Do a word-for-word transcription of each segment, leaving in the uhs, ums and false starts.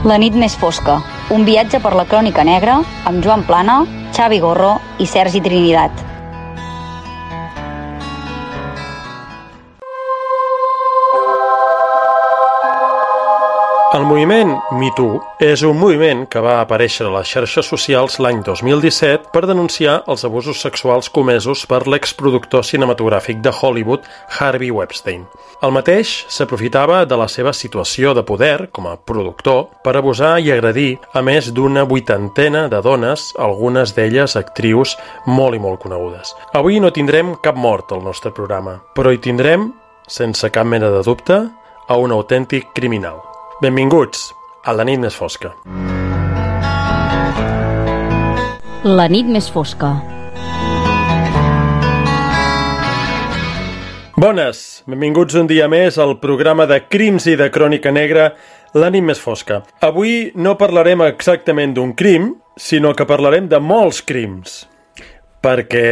La nit més fosca, un viatge per la crònica negra amb Joan Plana, Xavi Gorro i Sergi Trinidad. El moviment Me Too és un moviment que va aparèixer a les xarxes socials l'any dos mil disset per denunciar els abusos sexuals comesos per l'exproductor cinematogràfic de Hollywood, Harvey Weinstein. El mateix s'aprofitava de la seva situació de poder com a productor per abusar i agredir a més d'una vuitantena de dones, algunes d'elles actrius molt i molt conegudes. Avui no tindrem cap mort al nostre programa, però hi tindrem, sense cap mena de dubte, a un autèntic criminal. Benvinguts a La nit més fosca. La nit més fosca. Bones, benvinguts un dia més al programa de crims i de crònica negra La nit més fosca. Avui no parlarem exactament d'un crim, sinó que parlarem de molts crims. Perquè,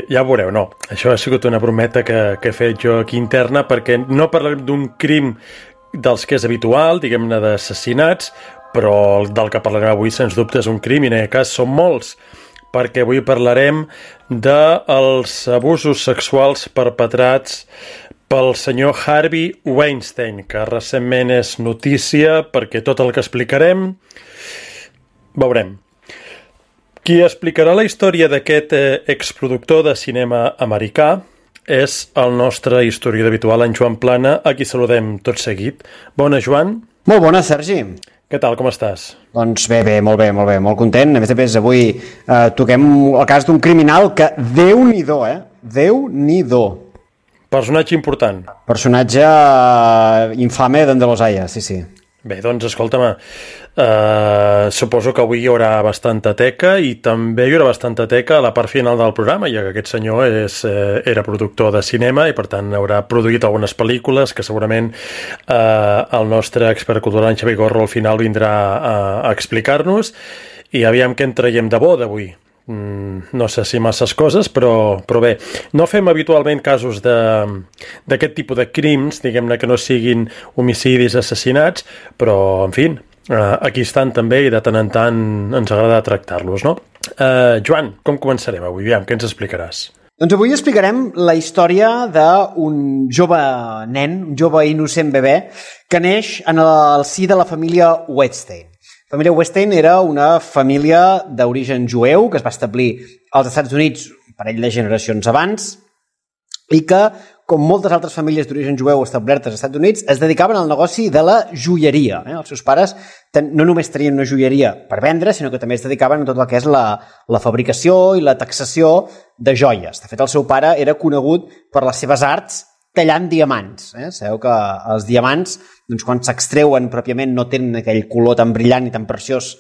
ja ho veureu, no, això ha sigut una brometa que, que he fet jo aquí interna, perquè no parlarem d'un crim dels que és habitual, diguem-ne d'assassinats, però del que parlarem avui sens dubte és un crim i en aquest cas són molts, perquè avui parlarem dels abusos sexuals perpetrats pel senyor Harvey Weinstein, que recentment és notícia perquè tot el que explicarem veurem. Qui explicarà la història d'aquest eh, exproductor de cinema americà és el nostre historiador habitual, en Joan Plana, a qui saludem tot seguit. Bona, Joan. Molt bona, Sergi. Què tal, com estàs? Doncs bé, bé, molt bé, molt bé, molt content. A més a més, avui eh, toquem el cas d'un criminal que, Déu-n'hi-do, eh? Déu-n'hi-do. Personatge important. Personatge eh, infame d'Andalos Aya, sí, sí. Bé, doncs, escolta'm, eh, suposo que avui hi haurà bastanta teca i també hi haurà bastanta teca a la part final del programa, ja que aquest senyor és, eh, era productor de cinema i, per tant, haurà produït algunes pel·lícules que segurament eh, el nostre expert cultural, en Xavi Gorro, al final vindrà a, a explicar-nos. I aviam què en traiem de bo d'avui. Mm, no sé si masses coses, però, però bé, no fem habitualment casos d'aquest tipus de crims, diguem-ne que no siguin homicidis, assassinats, però, en fi, eh, aquí estan també i de tant en tant ens agrada tractar-los, no? Eh, Joan, com començarem avui? Aviam, què ens explicaràs? Doncs avui explicarem la història d'un jove nen, un jove innocent bebè, que neix en el si de la família Weinstein. La família Weinstein era una família d'origen jueu que es va establir als Estats Units un parell de generacions abans i que, com moltes altres famílies d'origen jueu establertes als Estats Units, es dedicaven al negoci de la joieria. Eh? Els seus pares ten, no només tenien una joieria per vendre, sinó que també es dedicaven a tot el que és la, la fabricació i la taxació de joies. De fet, el seu pare era conegut per les seves arts tallant diamants. Eh? Sabeu que els diamants, doncs, quan s'extreuen pròpiament, no tenen aquell color tan brillant i tan preciós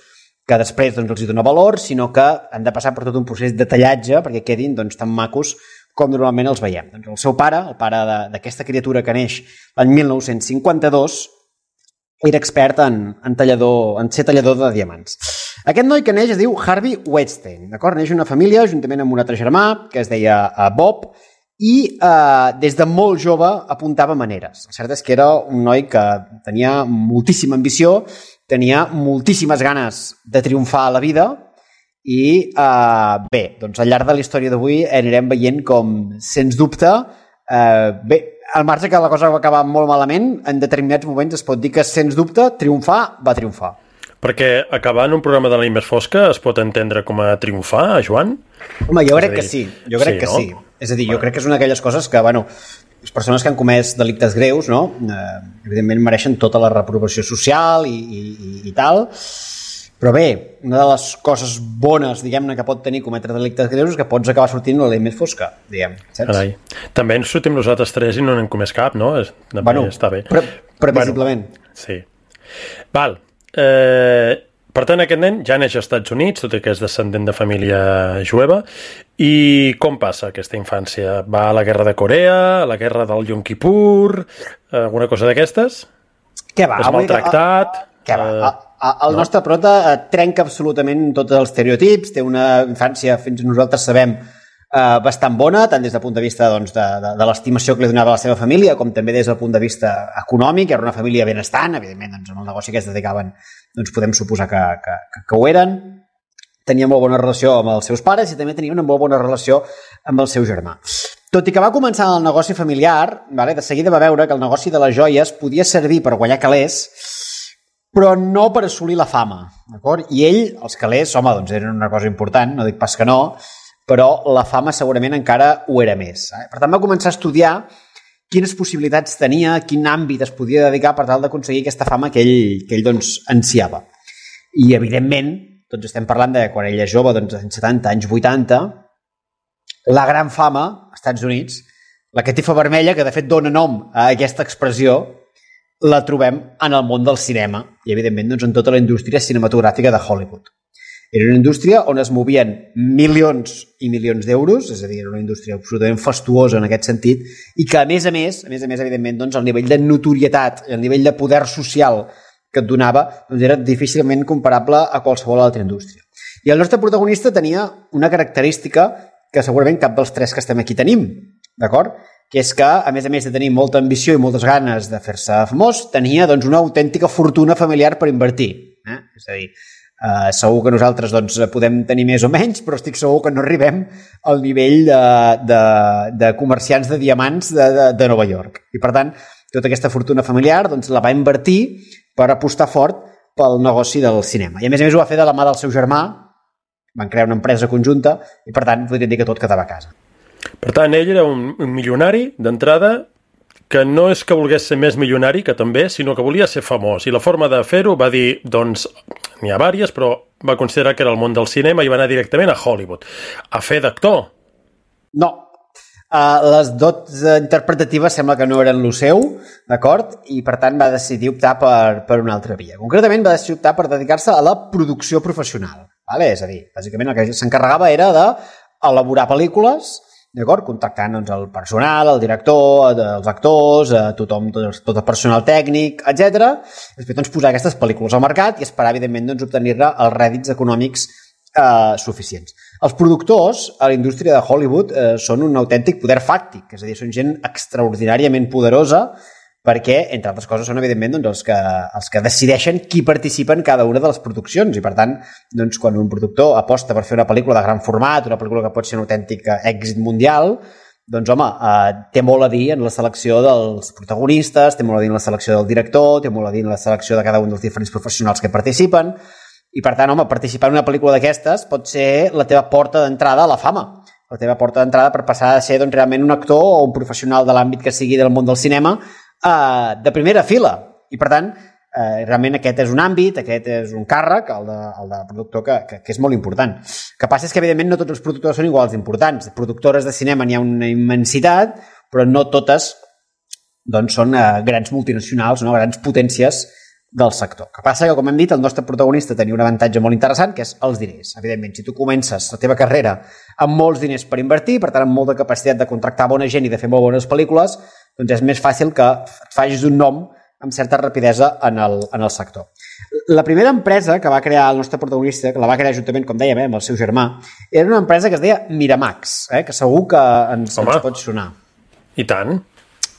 que després doncs, els hi dona valor, sinó que han de passar per tot un procés de tallatge perquè quedin doncs, tan macos com normalment els veiem. Doncs, el seu pare, el pare d'aquesta criatura que neix l'any mil nou-cents cinquanta-dos, era expert en, en, tallador, en ser tallador de diamants. Aquest noi que neix es diu Harvey Weinstein. D'acord? Neix una família juntament amb un altre germà que es deia Bob, i eh, des de molt jove apuntava maneres. El cert és que era un noi que tenia moltíssima ambició, tenia moltíssimes ganes de triomfar a la vida i eh, bé, doncs al llarg de la història d'avui anirem veient com, sens dubte, eh, bé, al marge que la cosa va acabar molt malament, en determinats moments es pot dir que, sens dubte, triomfar va triomfar. Perquè acabar en un programa de la nit més fosca es pot entendre com a triomfar, Joan? Home, jo crec dir, que sí, jo crec sí, que no? sí. És a dir, jo crec que és una d'aquelles coses que, bueno, les persones que han comès delictes greus, no?, eh, evidentment mereixen tota la reprovació social i, i, i tal, però bé, una de les coses bones, diguem-ne, que pot tenir cometre delictes greus és que pots acabar sortint la llei més fosca, diguem, saps? Carai. També ens sortim nosaltres tres i no n'hem comès cap, no? També bueno, està bé. Pre previsiblement. Bueno, sí. Val. Eh... Per tant, aquest nen ja neix als Estats Units, tot i que és descendent de família jueva. I com passa aquesta infància? Va a la guerra de Corea, a la guerra del Yom Kippur, alguna cosa d'aquestes? Què va? És maltractat? Què va? Uh, el no? nostre prota trenca absolutament tots els estereotips, té una infància, fins nosaltres sabem, eh, bastant bona, tant des del punt de vista doncs, de, de, de l'estimació que li donava a la seva família, com també des del punt de vista econòmic. Era una família benestant, evidentment, doncs, en el negoci que es dedicaven doncs, podem suposar que, que, que, que ho eren. Tenia molt bona relació amb els seus pares i també tenia una molt bona relació amb el seu germà. Tot i que va començar el negoci familiar, vale, de seguida va veure que el negoci de les joies podia servir per guanyar calés, però no per assolir la fama. D'acord? I ell, els calés, home, doncs eren una cosa important, no dic pas que no, però la fama segurament encara ho era més. Eh? Per tant, va començar a estudiar quines possibilitats tenia, quin àmbit es podia dedicar per tal d'aconseguir aquesta fama que ell, que ell doncs, ansiava. I, evidentment, doncs estem parlant de quan ell és jove, doncs, en setanta anys, vuitanta, la gran fama, als Estats Units, la catifa vermella, que de fet dona nom a aquesta expressió, la trobem en el món del cinema i, evidentment, doncs, en tota la indústria cinematogràfica de Hollywood. Era una indústria on es movien milions i milions d'euros, és a dir, era una indústria absolutament fastuosa en aquest sentit, i que, a més a més, a més a més, evidentment, doncs, el nivell de notorietat, el nivell de poder social que et donava, doncs, era difícilment comparable a qualsevol altra indústria. I el nostre protagonista tenia una característica que segurament cap dels tres que estem aquí tenim, d'acord? Que és que, a més a més de tenir molta ambició i moltes ganes de fer-se famós, tenia doncs, una autèntica fortuna familiar per invertir. Eh? És a dir, eh, segur que nosaltres doncs, podem tenir més o menys, però estic segur que no arribem al nivell de, de, de comerciants de diamants de, de, de Nova York. I, per tant, tota aquesta fortuna familiar doncs, la va invertir per apostar fort pel negoci del cinema. I, a més a més, ho va fer de la mà del seu germà, van crear una empresa conjunta i, per tant, podríem dir que tot quedava a casa. Per tant, ell era un, un milionari d'entrada que no és que volgués ser més milionari, que també, sinó que volia ser famós. I la forma de fer-ho va dir, doncs, n'hi ha vàries, però va considerar que era el món del cinema i va anar directament a Hollywood. A fer d'actor. No. Uh, les dots interpretatives sembla que no eren lo seu, d'acord? I, per tant, va decidir optar per, per una altra via. Concretament, va decidir optar per dedicar-se a la producció professional. Vale? És a dir, bàsicament el que s'encarregava era d'elaborar pel·lícules, d'acord? Contactant doncs, el personal, el director, els actors, tothom, tot, tot el personal tècnic, etcètera. Després doncs, posar aquestes pel·lícules al mercat i esperar, evidentment, doncs, obtenir-ne els rèdits econòmics eh, suficients. Els productors a la indústria de Hollywood eh, són un autèntic poder fàctic, és a dir, són gent extraordinàriament poderosa perquè, entre altres coses, són, evidentment, doncs, els, que, els que decideixen qui participa en cada una de les produccions. I, per tant, doncs, quan un productor aposta per fer una pel·lícula de gran format, una pel·lícula que pot ser un autèntic èxit mundial, doncs, home, eh, té molt a dir en la selecció dels protagonistes, té molt a dir en la selecció del director, té molt a dir en la selecció de cada un dels diferents professionals que participen. I, per tant, home, participar en una pel·lícula d'aquestes pot ser la teva porta d'entrada a la fama, la teva porta d'entrada per passar a ser doncs, realment un actor o un professional de l'àmbit que sigui del món del cinema Uh, de primera fila. I, per tant, uh, realment aquest és un àmbit, aquest és un càrrec, el de, el de productor, que, que, que és molt important. El que passa és que, evidentment, no tots els productors són iguals d'importants. Productores de cinema n'hi ha una immensitat, però no totes doncs, són uh, grans multinacionals, no? Grans potències del sector. El que passa que, com hem dit, el nostre protagonista tenia un avantatge molt interessant, que és els diners. Evidentment, si tu comences la teva carrera amb molts diners per invertir, per tant, amb molta capacitat de contractar bona gent i de fer molt bones pel·lícules, doncs és més fàcil que et facis un nom amb certa rapidesa en el, en el sector. La primera empresa que va crear el nostre protagonista, que la va crear juntament, com dèiem, eh, amb el seu germà, era una empresa que es deia Miramax, eh, que segur que ens, ens pot sonar. I tant.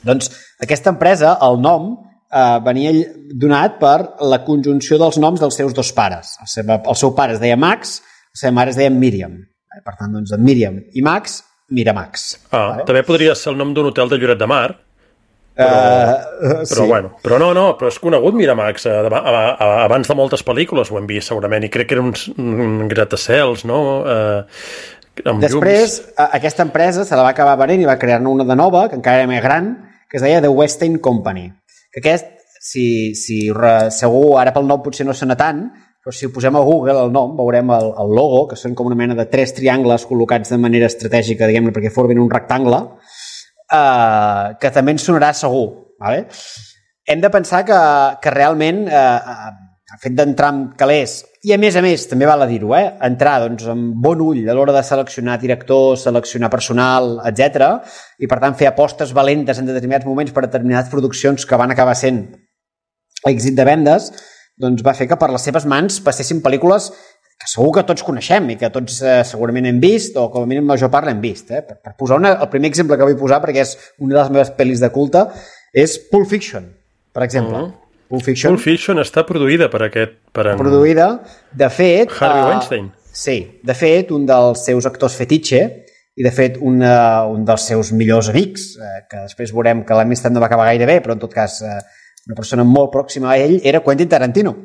Doncs aquesta empresa, el nom, eh, venia donat per la conjunció dels noms dels seus dos pares. El seu, el seu pare es deia Max, la seva mare es deia Míriam. Eh, per tant, doncs, Míriam i Max, Miramax. Ah, vale? També podria ser el nom d'un hotel de Lloret de Mar. Però, uh, però, sí. bueno, però no, no, però és conegut Miramax abans de moltes pel·lícules ho hem vist segurament i crec que era un, un gratacels, no? Eh, Després llums. Aquesta empresa se la va acabar venent i va crear-ne una de nova, que encara era més gran, que es deia The Westin Company, que aquest, si, si segur ara pel nom potser no sona tant, però si ho posem a Google el nom veurem el, el logo, que són com una mena de tres triangles col·locats de manera estratègica, diguem-ne, perquè formen un rectangle, Uh, que també ens sonarà segur. Vale? Hem de pensar que, que realment uh, el fet d'entrar amb calés, i a més a més, també val a dir-ho, eh? entrar doncs, amb bon ull a l'hora de seleccionar directors, seleccionar personal, etcètera, i per tant fer apostes valentes en determinats moments per determinades produccions que van acabar sent èxit de vendes, doncs va fer que per les seves mans passessin pel·lícules que segur que tots coneixem i que tots eh, segurament hem vist, o com a mínim la major part l'hem vist. Eh? Per, per posar una, el primer exemple que vull posar, perquè és una de les meves pel·lis de culte, és Pulp Fiction, per exemple. Uh-huh. Pulp Fiction. Pulp Fiction està produïda per aquest... Per en... Produïda, de fet... Harvey uh, Weinstein. Sí, de fet, un dels seus actors fetitxe i, de fet, una, un dels seus millors amics, eh, que després veurem que l'amistat no va acabar gaire bé, però en tot cas eh, una persona molt pròxima a ell, era Quentin Tarantino,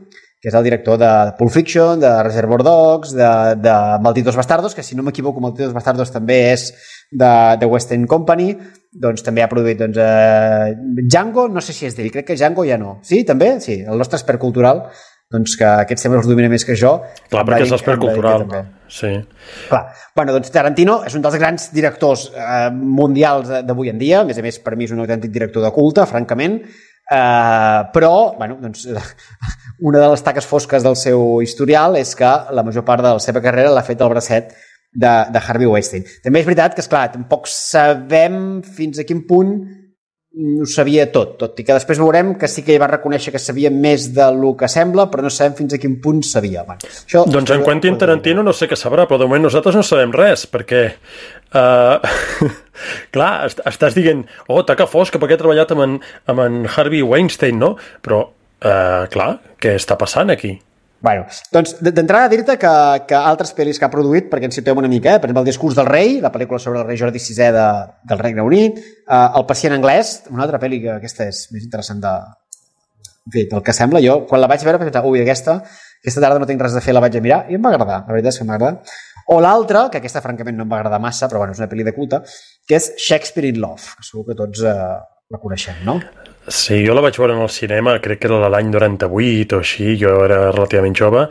que és el director de Pulp Fiction, de Reservoir Dogs, de, de Malditos Bastardos, que si no m'equivoco, Malditos Bastardos també és de, de West End Company, doncs també ha produït doncs, eh, Django, no sé si és d'ell, crec que Django ja no. Sí, també? Sí, el nostre expert cultural, doncs que aquest sempre els domina més que jo. Clar, perquè és l'expert cultural. Sí. Clar. Bueno, doncs Tarantino és un dels grans directors eh, mundials d'avui en dia, a més a més per mi és un autèntic director de culte, francament, Uh, però bueno, doncs, una de les taques fosques del seu historial és que la major part de la seva carrera l'ha fet el bracet de, de Harvey Weinstein. També és veritat que, esclar, tampoc sabem fins a quin punt ho sabia tot, tot i que després veurem que sí que ell va reconèixer que sabia més del que sembla, però no sabem fins a quin punt sabia. Bueno, això, doncs en Quentin Tarantino no sé què sabrà, però de moment nosaltres no sabem res, perquè uh, clar, est estàs dient oh, taca fosca, perquè he treballat amb en, amb en Harvey Weinstein, no? Però, uh, clar, què està passant aquí? Bueno, doncs d'entrada dir-te que, que altres pel·lis que ha produït, perquè ens situem una mica, eh? Per exemple, El discurs del rei, la pel·lícula sobre el rei Jordi sisè de, del Regne Unit, eh, El pacient anglès, una altra pel·li que aquesta és més interessant de, en fi, del que sembla. Jo, quan la vaig veure, vaig pensar, ui, aquesta, aquesta tarda no tinc res a fer, la vaig a mirar, i em va agradar, la veritat és que m'ha agradat. O l'altra, que aquesta francament no em va agradar massa, però bueno, és una pel·li de culte, que és Shakespeare in Love, que segur que tots eh, la coneixem, no? Sí, jo la vaig veure en el cinema, crec que era l'any noranta-vuit o així, jo era relativament jove,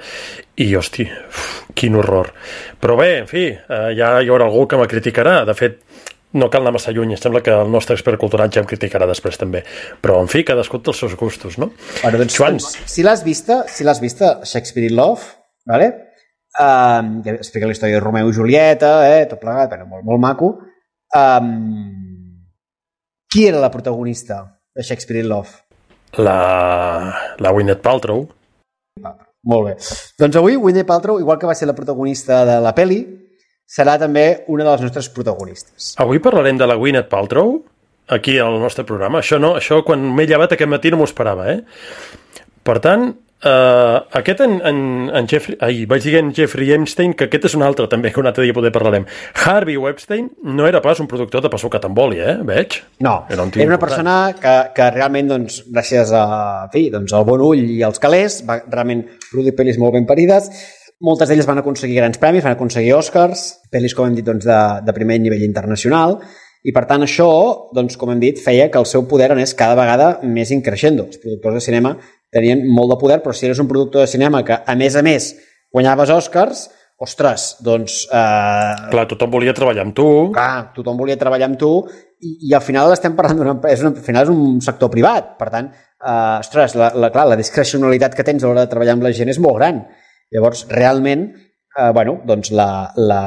i, hosti, uf, quin horror. Però bé, en fi, eh, ja hi haurà algú que me criticarà. De fet, no cal anar massa lluny, sembla que el nostre expert cultural ja em criticarà després també. Però, en fi, cadascú té els seus gustos, no? Bueno, doncs, Joan... doncs, si l'has vista, si l'has vista, Shakespeare in Love, vale? Um, ja explica la història de Romeu i Julieta, eh, tot plegat, bueno, molt, molt maco. Um, qui era la protagonista de Shakespeare in Love? La, la Gwyneth Paltrow. Ah, molt bé. Doncs avui Gwyneth Paltrow, igual que va ser la protagonista de la peli, serà també una de les nostres protagonistes. Avui parlarem de la Gwyneth Paltrow aquí al nostre programa. Això no, això quan m'he llevat aquest matí no m'ho esperava, eh? Per tant, Uh, aquest en, en, en Jeffrey, ai, vaig dir en Jeffrey Epstein, que aquest és un altre també, que un altre dia poder parlarem. Harvey Weinstein no era pas un productor de pa sucat amb oli, eh? Veig? No, era, un era una important. persona que, que realment, doncs, gràcies a, en fi, doncs, al bon ull i als calés, va realment produir pel·lis molt ben parides. Moltes d'elles van aconseguir grans premis, van aconseguir Oscars, pel·lis, com hem dit, doncs, de, de primer nivell internacional, i per tant això, doncs, com hem dit, feia que el seu poder anés cada vegada més increixent. Els productors de cinema tenien molt de poder, però si eres un productor de cinema que, a més a més, guanyaves Oscars, ostres, doncs... Eh... Clar, tothom volia treballar amb tu. Clar, tothom volia treballar amb tu i, i al final estem parlant d'una empresa, al final és un sector privat, per tant, eh, ostres, la, la, clar, la discrecionalitat que tens a l'hora de treballar amb la gent és molt gran. Llavors, realment, eh, bueno, doncs la... la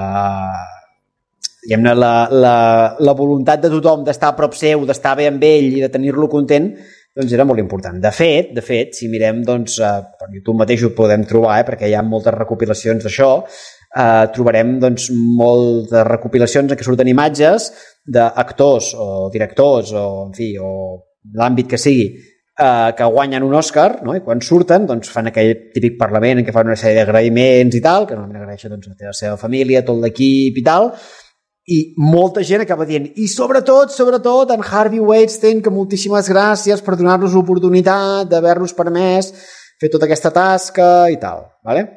diguem-ne, la, la, la voluntat de tothom d'estar a prop seu, d'estar bé amb ell i de tenir-lo content, doncs era molt important. De fet, de fet, si mirem, doncs, eh, per YouTube mateix ho podem trobar, eh, perquè hi ha moltes recopilacions d'això, eh, trobarem, doncs, moltes recopilacions en què surten imatges d'actors o directors o, en fi, o l'àmbit que sigui, eh, que guanyen un Òscar, no? I quan surten, doncs, fan aquell típic parlament en què fan una sèrie d'agraïments i tal, que normalment agraeixen, doncs, a la seva família, tot l'equip i tal, i molta gent acaba dient, i sobretot, sobretot, en Harvey Weinstein, que moltíssimes gràcies per donar-nos l'oportunitat d'haver-nos permès fer tota aquesta tasca i tal, ¿vale?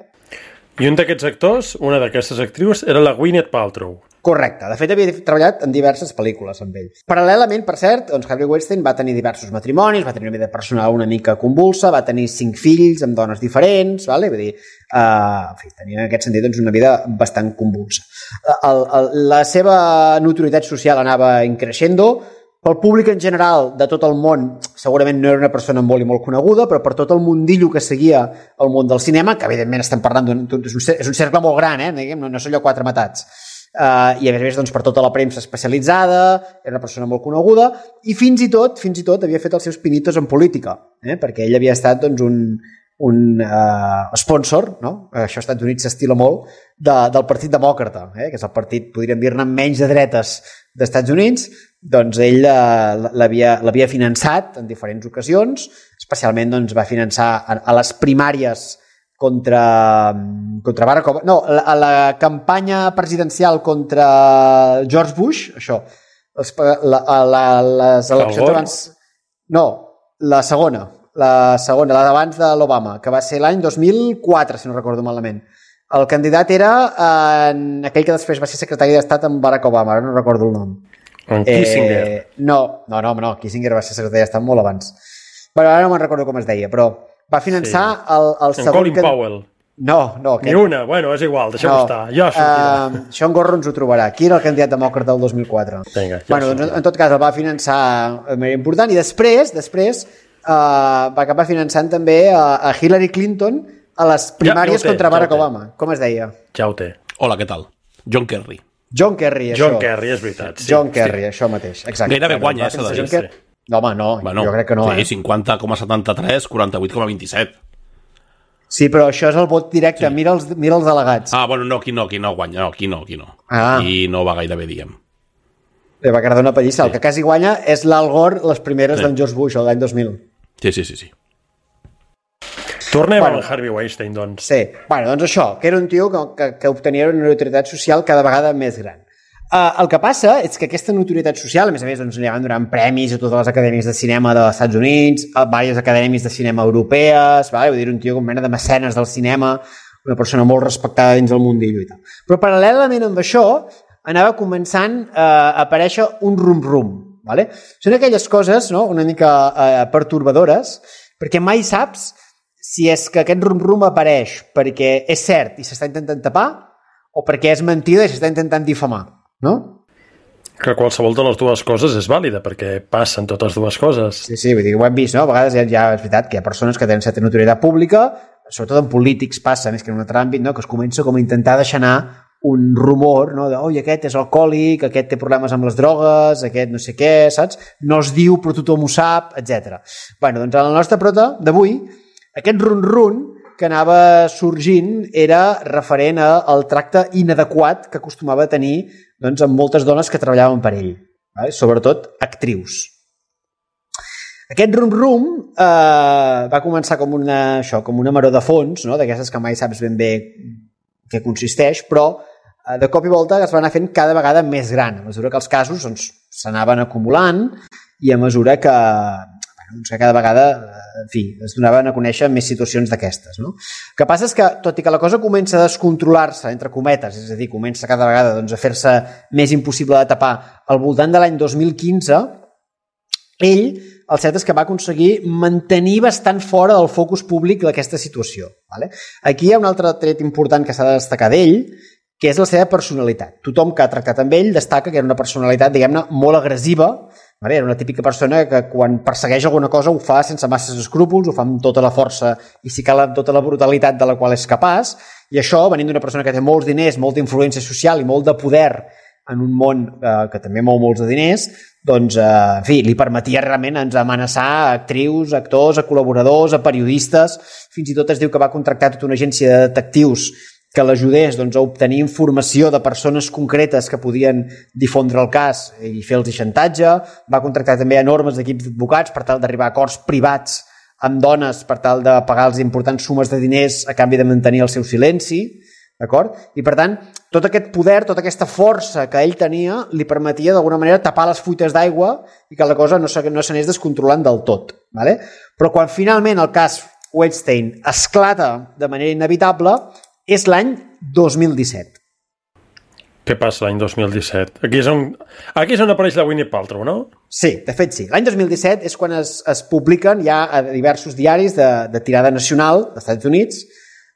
I un d'aquests actors, una d'aquestes actrius, era la Gwyneth Paltrow. Correcte. De fet, havia treballat en diverses pel·lícules amb ell. Paral·lelament, per cert, doncs Harvey Weinstein va tenir diversos matrimonis, va tenir una vida personal una mica convulsa, va tenir cinc fills amb dones diferents, vale? Vull dir, uh, en fi, tenia en aquest sentit doncs, una vida bastant convulsa. El, el, la seva notorietat social anava increixendo. Pel públic en general de tot el món, segurament no era una persona molt i molt coneguda, però per tot el mundillo que seguia el món del cinema, que evidentment estem parlant d'un... És un cercle molt gran, eh? Diguem, no, no són allò quatre matats. Uh, i a més a més doncs, per tota la premsa especialitzada, era una persona molt coneguda i fins i tot fins i tot havia fet els seus pinitos en política, eh? Perquè ell havia estat doncs, un, un uh, sponsor, no? Això als Estats Units s'estila molt, de, del Partit Demòcrata, eh? que és el partit, podríem dir-ne, menys de dretes dels Estats Units. Doncs ell uh, l'havia finançat en diferents ocasions, especialment doncs, va finançar a, a les primàries contra, contra Barack Obama, no, a la campanya presidencial contra George Bush, això, les, la, la, les eleccions abans... No, la segona, la segona, la d'abans de l'Obama, que va ser l'any dos mil quatre, si no recordo malament. El candidat era en aquell que després va ser secretari d'Estat amb Barack Obama, ara no recordo el nom. En Kissinger. Eh, no, no, no, no, Kissinger va ser secretari d'Estat molt abans. Bueno, ara no me'n recordo com es deia, però va finançar sí. el, el segon... En Colin que... Powell. No, no. Aquest... Ni una, bueno, és igual, deixem-ho no. estar. Ja sortirà. Uh, Sean Gorro ens ho trobarà. Qui era el candidat demòcrata del dos mil quatre? Vinga, ja bueno, doncs, en tot cas, el va finançar de manera important i després, després uh, va acabar finançant també a, a Hillary Clinton a les primàries ja, ja té, contra Barack ja Obama. Com es deia? Ja ho té. Hola, què tal? John Kerry. John Kerry, això. John Kerry, és veritat. Sí. John Kerry, sí. Això mateix. Exacte. Gairebé guanya, eh, s'ha de dir. Sí. No, home, no, bueno, jo crec que no. Sí, eh? cinquanta coma setanta-tres, quaranta-vuit coma vint-i-set. Sí, però això és el vot directe. Sí. Mira, els, mira els delegats. Ah, bueno, no, aquí no, aquí no guanya. No, aquí no, aquí no. Ah. Aquí no va gaire bé, diguem. Li va quedar una pallissa. Sí. El que quasi guanya és l'Al Gore, les primeres sí. d'en George Bush, l'any dos mil. Sí, sí, sí, sí. Tornem bueno, al Harvey Weinstein, doncs. Sí, bueno, doncs això, que era un tio que, que, que obtenia una notorietat social cada vegada més gran. Uh, el que passa és que aquesta notorietat social, a més a més, doncs, li van donant premis a totes les acadèmies de cinema dels Estats Units, a diverses acadèmies de cinema europees, vale? Vull dir, un tio com mena de mecenes del cinema, una persona molt respectada dins del mundillo i tal. Però paral·lelament amb això, anava començant uh, a aparèixer un rum-rum. Vale? Són aquelles coses, no?, una mica uh, pertorbadores, perquè mai saps si és que aquest rum-rum apareix perquè és cert i s'està intentant tapar o perquè és mentida i s'està intentant difamar, no? Que qualsevol de les dues coses és vàlida, perquè passen totes dues coses. Sí, sí, vull dir, ho hem vist, no? A vegades ja, ja és veritat que hi ha persones que tenen certa notorietat pública, sobretot en polítics passa, més que en un altre àmbit, no? Que es comença com a intentar deixar anar un rumor, no? De, oi, aquest és alcohòlic, aquest té problemes amb les drogues, aquest no sé què, saps? No es diu, però tothom ho sap, etcètera. Bueno, doncs en la nostra prota d'avui, aquest run-run que anava sorgint era referent al tracte inadequat que acostumava a tenir doncs, amb moltes dones que treballaven per ell, vale? Sobretot actrius. Aquest rum-rum eh, va començar com una, això, com una maror de fons, no? D'aquestes que mai saps ben bé què consisteix, però eh, de cop i volta es va anar fent cada vegada més gran, a mesura que els casos s'anaven doncs, acumulant i a mesura que doncs que cada vegada, en fi, es donaven a conèixer més situacions d'aquestes, no? El que passa és que, tot i que la cosa comença a descontrolar-se, entre cometes, és a dir, comença cada vegada doncs, a fer-se més impossible de tapar, al voltant de l'any dos mil quinze, ell, el cert és que va aconseguir mantenir bastant fora del focus públic d'aquesta situació. Vale? Aquí hi ha un altre tret important que s'ha de destacar d'ell, que és la seva personalitat. Tothom que ha tractat amb ell destaca que era una personalitat, diguem-ne, molt agressiva. Vale? Era una típica persona que quan persegueix alguna cosa ho fa sense masses escrúpols, ho fa amb tota la força i si cal amb tota la brutalitat de la qual és capaç, i això, venint d'una persona que té molts diners, molta influència social i molt de poder en un món eh, que també mou molts de diners, doncs, eh, en fi, li permetia realment ens amenaçar a actrius, a actors, a col·laboradors, a periodistes, fins i tot es diu que va contractar tota una agència de detectius que l'ajudés doncs, a obtenir informació de persones concretes que podien difondre el cas i fer-los xantatge. Va contractar també enormes equips d'advocats per tal d'arribar a acords privats amb dones per tal de pagar-los importants sumes de diners a canvi de mantenir el seu silenci. D'acord? I per tant, tot aquest poder, tota aquesta força que ell tenia li permetia d'alguna manera tapar les fuites d'aigua i que la cosa no s'anés descontrolant del tot. Vale? Però quan finalment el cas Weinstein esclata de manera inevitable és l'any dos mil disset. Què passa l'any dos mil disset? Aquí és on, aquí és on apareix la Gwyneth Paltrow, no? Sí, de fet sí. L'any dos mil disset és quan es, es publiquen ja a diversos diaris de, de tirada nacional dels Estats Units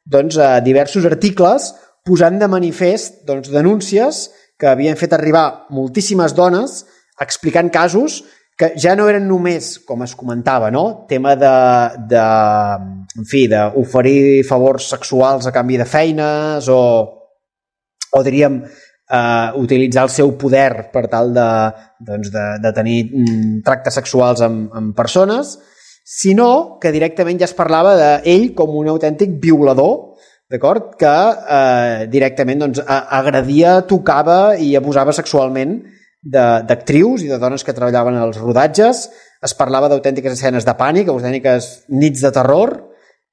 doncs, a diversos articles posant de manifest doncs, denúncies que havien fet arribar moltíssimes dones explicant casos que ja no eren només, com es comentava, no? Tema de, de, en fi, d'oferir favors sexuals a canvi de feines o, o diríem, eh, utilitzar el seu poder per tal de, doncs de, de tenir mm, tractes sexuals amb, amb persones, sinó que directament ja es parlava d'ell com un autèntic violador, d'acord? Que eh, directament doncs, agredia, tocava i abusava sexualment d'actrius i de dones que treballaven als rodatges. Es parlava d'autèntiques escenes de pànic, autèntiques nits de terror,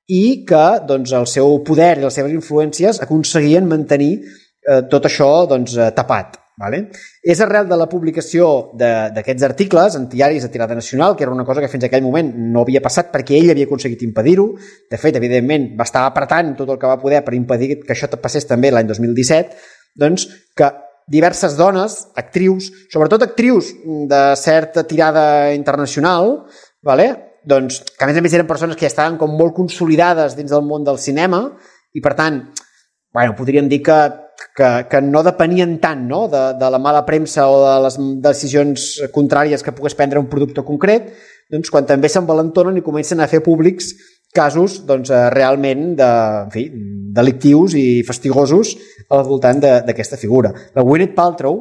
i que doncs, el seu poder i les seves influències aconseguien mantenir eh, tot això doncs, tapat. Vale? És arrel de la publicació d'aquests articles en diaris de tirada nacional, que era una cosa que fins a aquell moment no havia passat perquè ell havia aconseguit impedir-ho. De fet, evidentment, va estar apretant tot el que va poder per impedir que això passés també l'any dos mil disset, doncs que diverses dones, actrius, sobretot actrius de certa tirada internacional, vale? Doncs, que a més a més eren persones que ja estaven com molt consolidades dins del món del cinema i, per tant, bueno, podríem dir que, que, que no depenien tant, no? de, de la mala premsa o de les decisions contràries que pogués prendre un producte concret, doncs, quan també s'envalentonen i comencen a fer públics casos doncs, realment de, en fi, delictius i fastigosos al voltant d'aquesta figura. La Gwyneth Paltrow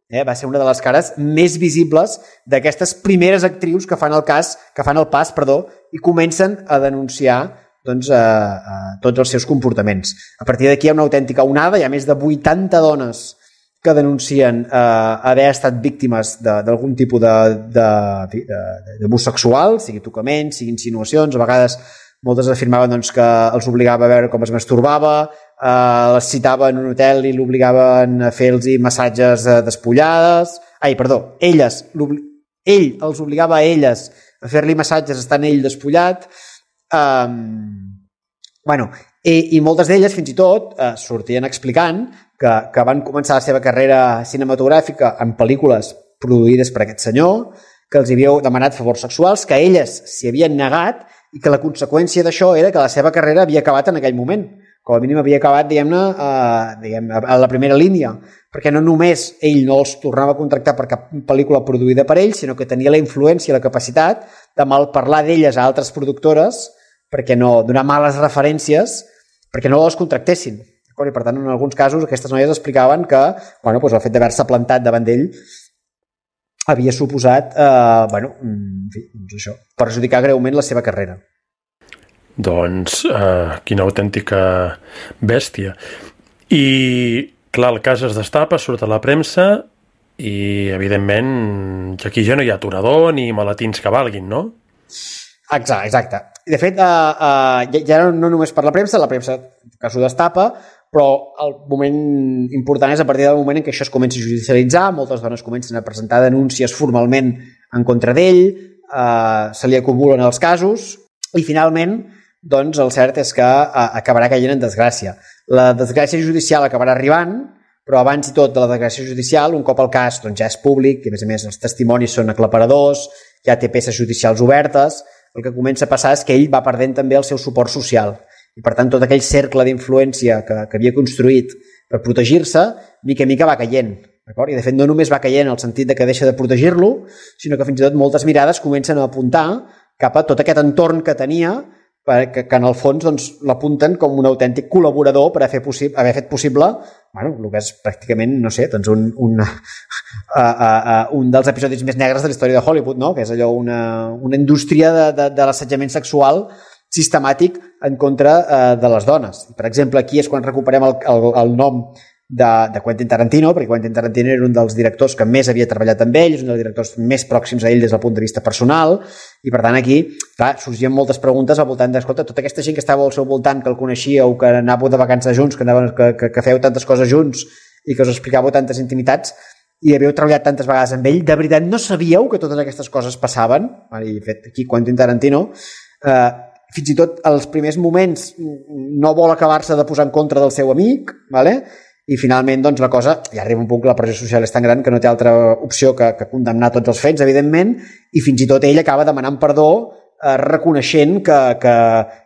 eh, va ser una de les cares més visibles d'aquestes primeres actrius que fan el cas, que fan el pas, perdó, i comencen a denunciar doncs, a, a tots els seus comportaments. A partir d'aquí hi ha una autèntica onada, hi ha més de vuitanta dones que denuncien eh, haver estat víctimes d'algun tipus d'abús sexual, sigui tocament, sigui insinuacions, a vegades moltes afirmaven doncs, que els obligava a veure com es masturbava, eh, les citava en un hotel i l'obligaven a fer-los massatges eh, despullades. Ai, perdó, elles, ell els obligava a elles a fer-li massatges estant ell despullat. Um, bueno, i, i moltes d'elles fins i tot eh, sortien explicant que, que van començar la seva carrera cinematogràfica en pel·lícules produïdes per aquest senyor, que els havia demanat favors sexuals, que elles s'hi havien negat i que la conseqüència d'això era que la seva carrera havia acabat en aquell moment. Com a mínim havia acabat, diguem-ne, a, diguem, a la primera línia, perquè no només ell no els tornava a contractar per cap pel·lícula produïda per ell, sinó que tenia la influència i la capacitat de malparlar d'elles a altres productores perquè no donar males referències perquè no les contractessin. I per tant, en alguns casos, aquestes noies explicaven que bueno, doncs el fet d'haver-se plantat davant d'ell havia suposat eh, bueno, en fi, doncs això, perjudicar greument la seva carrera. Doncs, eh, quina autèntica bèstia. I, clar, el cas es destapa, surt a la premsa i, evidentment, aquí ja no hi ha aturador ni maletins que valguin, no? Exacte, exacte. De fet, eh, eh, ja no només per la premsa, la premsa que s'ho destapa, però el moment important és a partir del moment en què això es comença a judicialitzar, moltes dones comencen a presentar denúncies formalment en contra d'ell, eh, se li acumulen els casos i finalment doncs, el cert és que eh, acabarà caient en desgràcia. La desgràcia judicial acabarà arribant, però abans i tot de la desgràcia judicial, un cop el cas doncs, ja és públic, i a més a més els testimonis són aclaparadors, ja té peces judicials obertes, el que comença a passar és que ell va perdent també el seu suport social. I per tant tot aquell cercle d'influència que, que havia construït per protegir-se, mica en mica va caient. I de fet no només va caient en el sentit de que deixa de protegir-lo, sinó que fins i tot moltes mirades comencen a apuntar cap a tot aquest entorn que tenia, que, que en el fons doncs, l'apunten com un autèntic col·laborador per haver, possi haver fet possible bueno, el que és pràcticament, no sé, doncs un, un, uh, uh, uh, un dels episodis més negres de la història de Hollywood, no? Que és allò una, una indústria de, de, de l'assetjament sexual sistemàtic en contra eh, de les dones. Per exemple, aquí és quan recuperem el, el, el nom de, de Quentin Tarantino, perquè Quentin Tarantino era un dels directors que més havia treballat amb ell, és un dels directors més pròxims a ell des del punt de vista personal, i per tant aquí clar, sorgien moltes preguntes al voltant d'escolta, tota aquesta gent que estava al seu voltant, que el coneixíeu, que anàveu de vacances junts, que, anàveu, que, que, que feu tantes coses junts i que us explicàveu tantes intimitats, i havíeu treballat tantes vegades amb ell, de veritat no sabíeu que totes aquestes coses passaven? I de fet, aquí Quentin Tarantino eh, fins i tot als primers moments no vol acabar-se de posar en contra del seu amic, vale? I finalment doncs, la cosa, ja arriba un punt que la pressió social és tan gran que no té altra opció que, que condemnar tots els fets, evidentment, i fins i tot ell acaba demanant perdó eh, reconeixent que, que,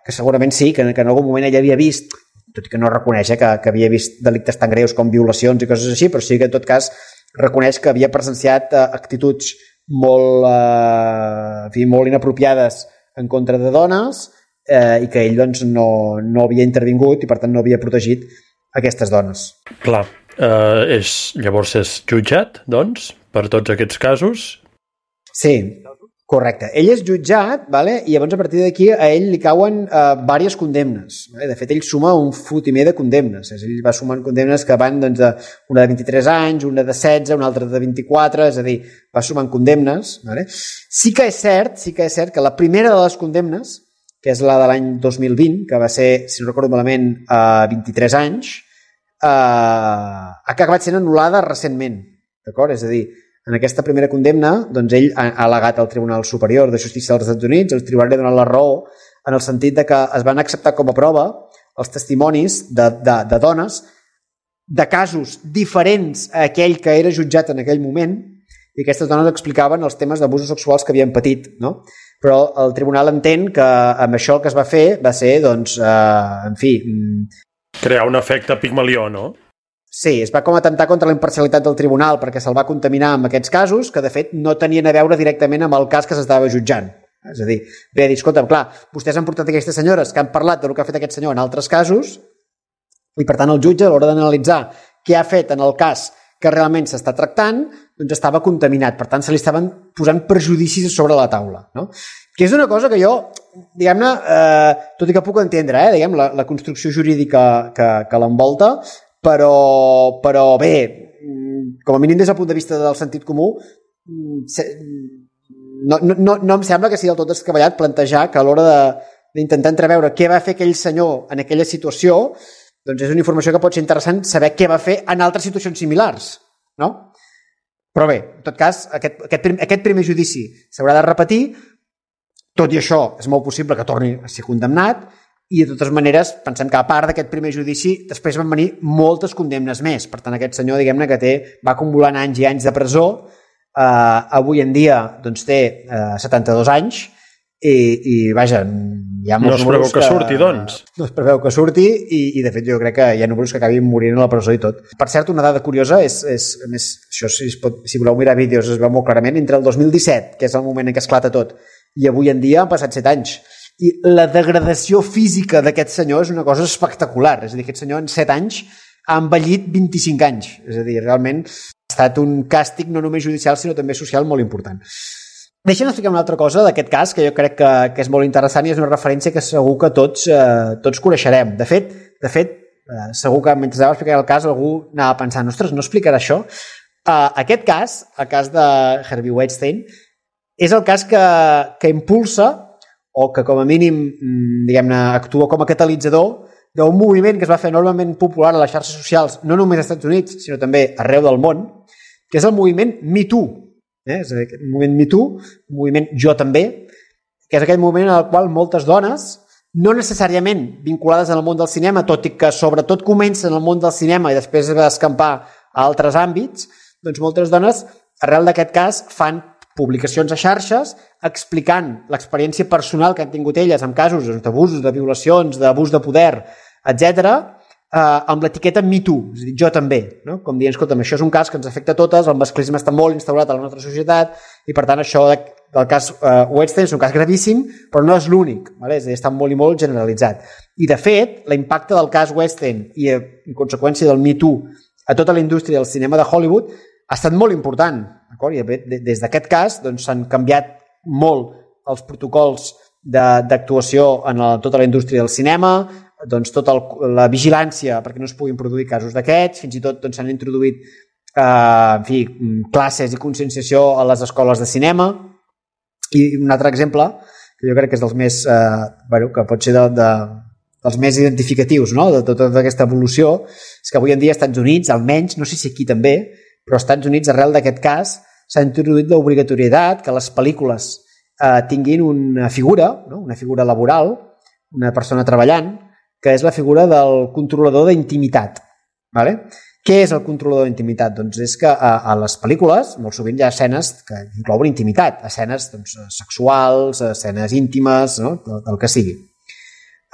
que segurament sí, que, que en algun moment ell havia vist, tot i que no reconeix eh, que, que havia vist delictes tan greus com violacions i coses així, però sí que en tot cas reconeix que havia presenciat eh, actituds molt, eh, en fi, molt inapropiades en contra de dones eh, i que ell doncs, no, no havia intervingut i per tant no havia protegit aquestes dones. Clar, eh, és, llavors és jutjat, doncs, per tots aquests casos? Sí, Correcte. Ell és jutjat, vale? I llavors a partir d'aquí a ell li cauen eh, diverses condemnes. Vale? De fet, ell suma un fotimer de condemnes. Ell va sumant condemnes que van doncs, de, una de vint-i-tres anys, una de setze, una altra de vint-i-quatre, és a dir, va sumant condemnes. Vale? Sí que és cert, sí que és cert que la primera de les condemnes, que és la de l'any dos mil vint, que va ser, si no recordo malament, a vint-i-tres anys, eh, ha acabat sent anul·lada recentment. D'acord? És a dir, en aquesta primera condemna, doncs ell ha al·legat al Tribunal Superior de Justícia dels Estats Units, el tribunal li ha donat la raó en el sentit de que es van acceptar com a prova els testimonis de, de, de dones de casos diferents a aquell que era jutjat en aquell moment, i aquestes dones explicaven els temes d'abusos sexuals que havien patit, no? Però el tribunal entén que amb això el que es va fer va ser, doncs, eh, en fi... crear un efecte Pigmalió, no? Sí, es va com atentar contra la imparcialitat del tribunal perquè se'l va contaminar amb aquests casos que, de fet, no tenien a veure directament amb el cas que s'estava jutjant. És a dir, ve a dir, escolta'm, clar, vostès han portat aquestes senyores que han parlat del que ha fet aquest senyor en altres casos i, per tant, el jutge, a l'hora d'analitzar què ha fet en el cas que realment s'està tractant, doncs estava contaminat. Per tant, se li estaven posant perjudicis sobre la taula, no? Que és una cosa que jo, diguem-ne, eh, tot i que puc entendre, eh, diguem, la, la construcció jurídica que, que l'envolta, però, però bé, com a mínim des del punt de vista del sentit comú, no, no, no em sembla que sigui del tot descabellat plantejar que a l'hora d'intentar entreveure què va fer aquell senyor en aquella situació, doncs és una informació que pot ser interessant saber què va fer en altres situacions similars, no? Però bé, en tot cas, aquest, aquest, aquest primer judici s'haurà de repetir, tot i això és molt possible que torni a ser condemnat, i de totes maneres pensem que a part d'aquest primer judici després van venir moltes condemnes més. Per tant, aquest senyor, diguem-ne, que té, va acumulant anys i anys de presó, eh, avui en dia doncs, té eh, setanta-dos anys i, i vaja, hi ha molts no es preveu que, que surti, doncs. No es preveu que surti i, i de fet jo crec que hi ha números que acabin morint a la presó i tot. Per cert, una dada curiosa és, és a més, això si, es pot, si voleu mirar vídeos es veu molt clarament, entre el dos mil disset, que és el moment en què esclata tot, i avui en dia han passat set anys. I la degradació física d'aquest senyor és una cosa espectacular. És a dir, aquest senyor en set anys ha envellit vint-i-cinc anys. És a dir, realment ha estat un càstig no només judicial, sinó també social molt important. Deixa'm explicar una altra cosa d'aquest cas, que jo crec que, que és molt interessant i és una referència que segur que tots, eh, tots coneixerem. De fet, de fet eh, segur que mentre anava explicant el cas algú anava pensant, ostres, no explicarà això? Eh, aquest cas, el cas de Harvey Weinstein, és el cas que, que impulsa o que com a mínim, diguem-ne, actua com a catalitzador d'un moviment que es va fer enormement popular a les xarxes socials, no només als Estats Units, sinó també arreu del món, que és el moviment Me Too. Eh? És el moviment Me Too, un moviment Jo També, que és aquell moviment en el qual moltes dones, no necessàriament vinculades al món del cinema, tot i que sobretot comencen en el món del cinema i després va escampar a altres àmbits, doncs moltes dones, arrel d'aquest cas, fan publicacions a xarxes explicant l'experiència personal que han tingut elles en casos d'abusos, de violacions, d'abús de poder, etcètera, eh, amb l'etiqueta Me Too, és a dir, jo també, no? Com dient, escolta'm, això és un cas que ens afecta a totes, el masclisme està molt instaurat a la nostra societat i per tant això del cas eh, Weinstein és un cas gravíssim, però no és l'únic, vale? És a dir, està molt i molt generalitzat. I de fet, l'impacte del cas Weinstein i en conseqüència del Me Too a tota la indústria del cinema de Hollywood ha estat molt important, d'acord? I des d'aquest cas doncs, s'han canviat molt els protocols d'actuació en la, tota la indústria del cinema, doncs, tota el, la vigilància perquè no es puguin produir casos d'aquests, fins i tot doncs, s'han introduït eh, en fi, classes i conscienciació a les escoles de cinema. I un altre exemple, que jo crec que és dels més, eh, bueno, que pot ser de, de, dels més identificatius, no? De tota aquesta evolució, és que avui en dia als Estats Units, almenys, no sé si aquí també, però als Estats Units, arrel d'aquest cas, s'ha introduït l'obligatorietat que les pel·lícules eh, tinguin una figura, no? Una figura laboral, una persona treballant, que és la figura del controlador d'intimitat. Vale? Què és el controlador d'intimitat? Doncs és que a, a les pel·lícules molt sovint hi ha escenes que inclouen intimitat, escenes doncs, sexuals, escenes íntimes, no? del, del que sigui.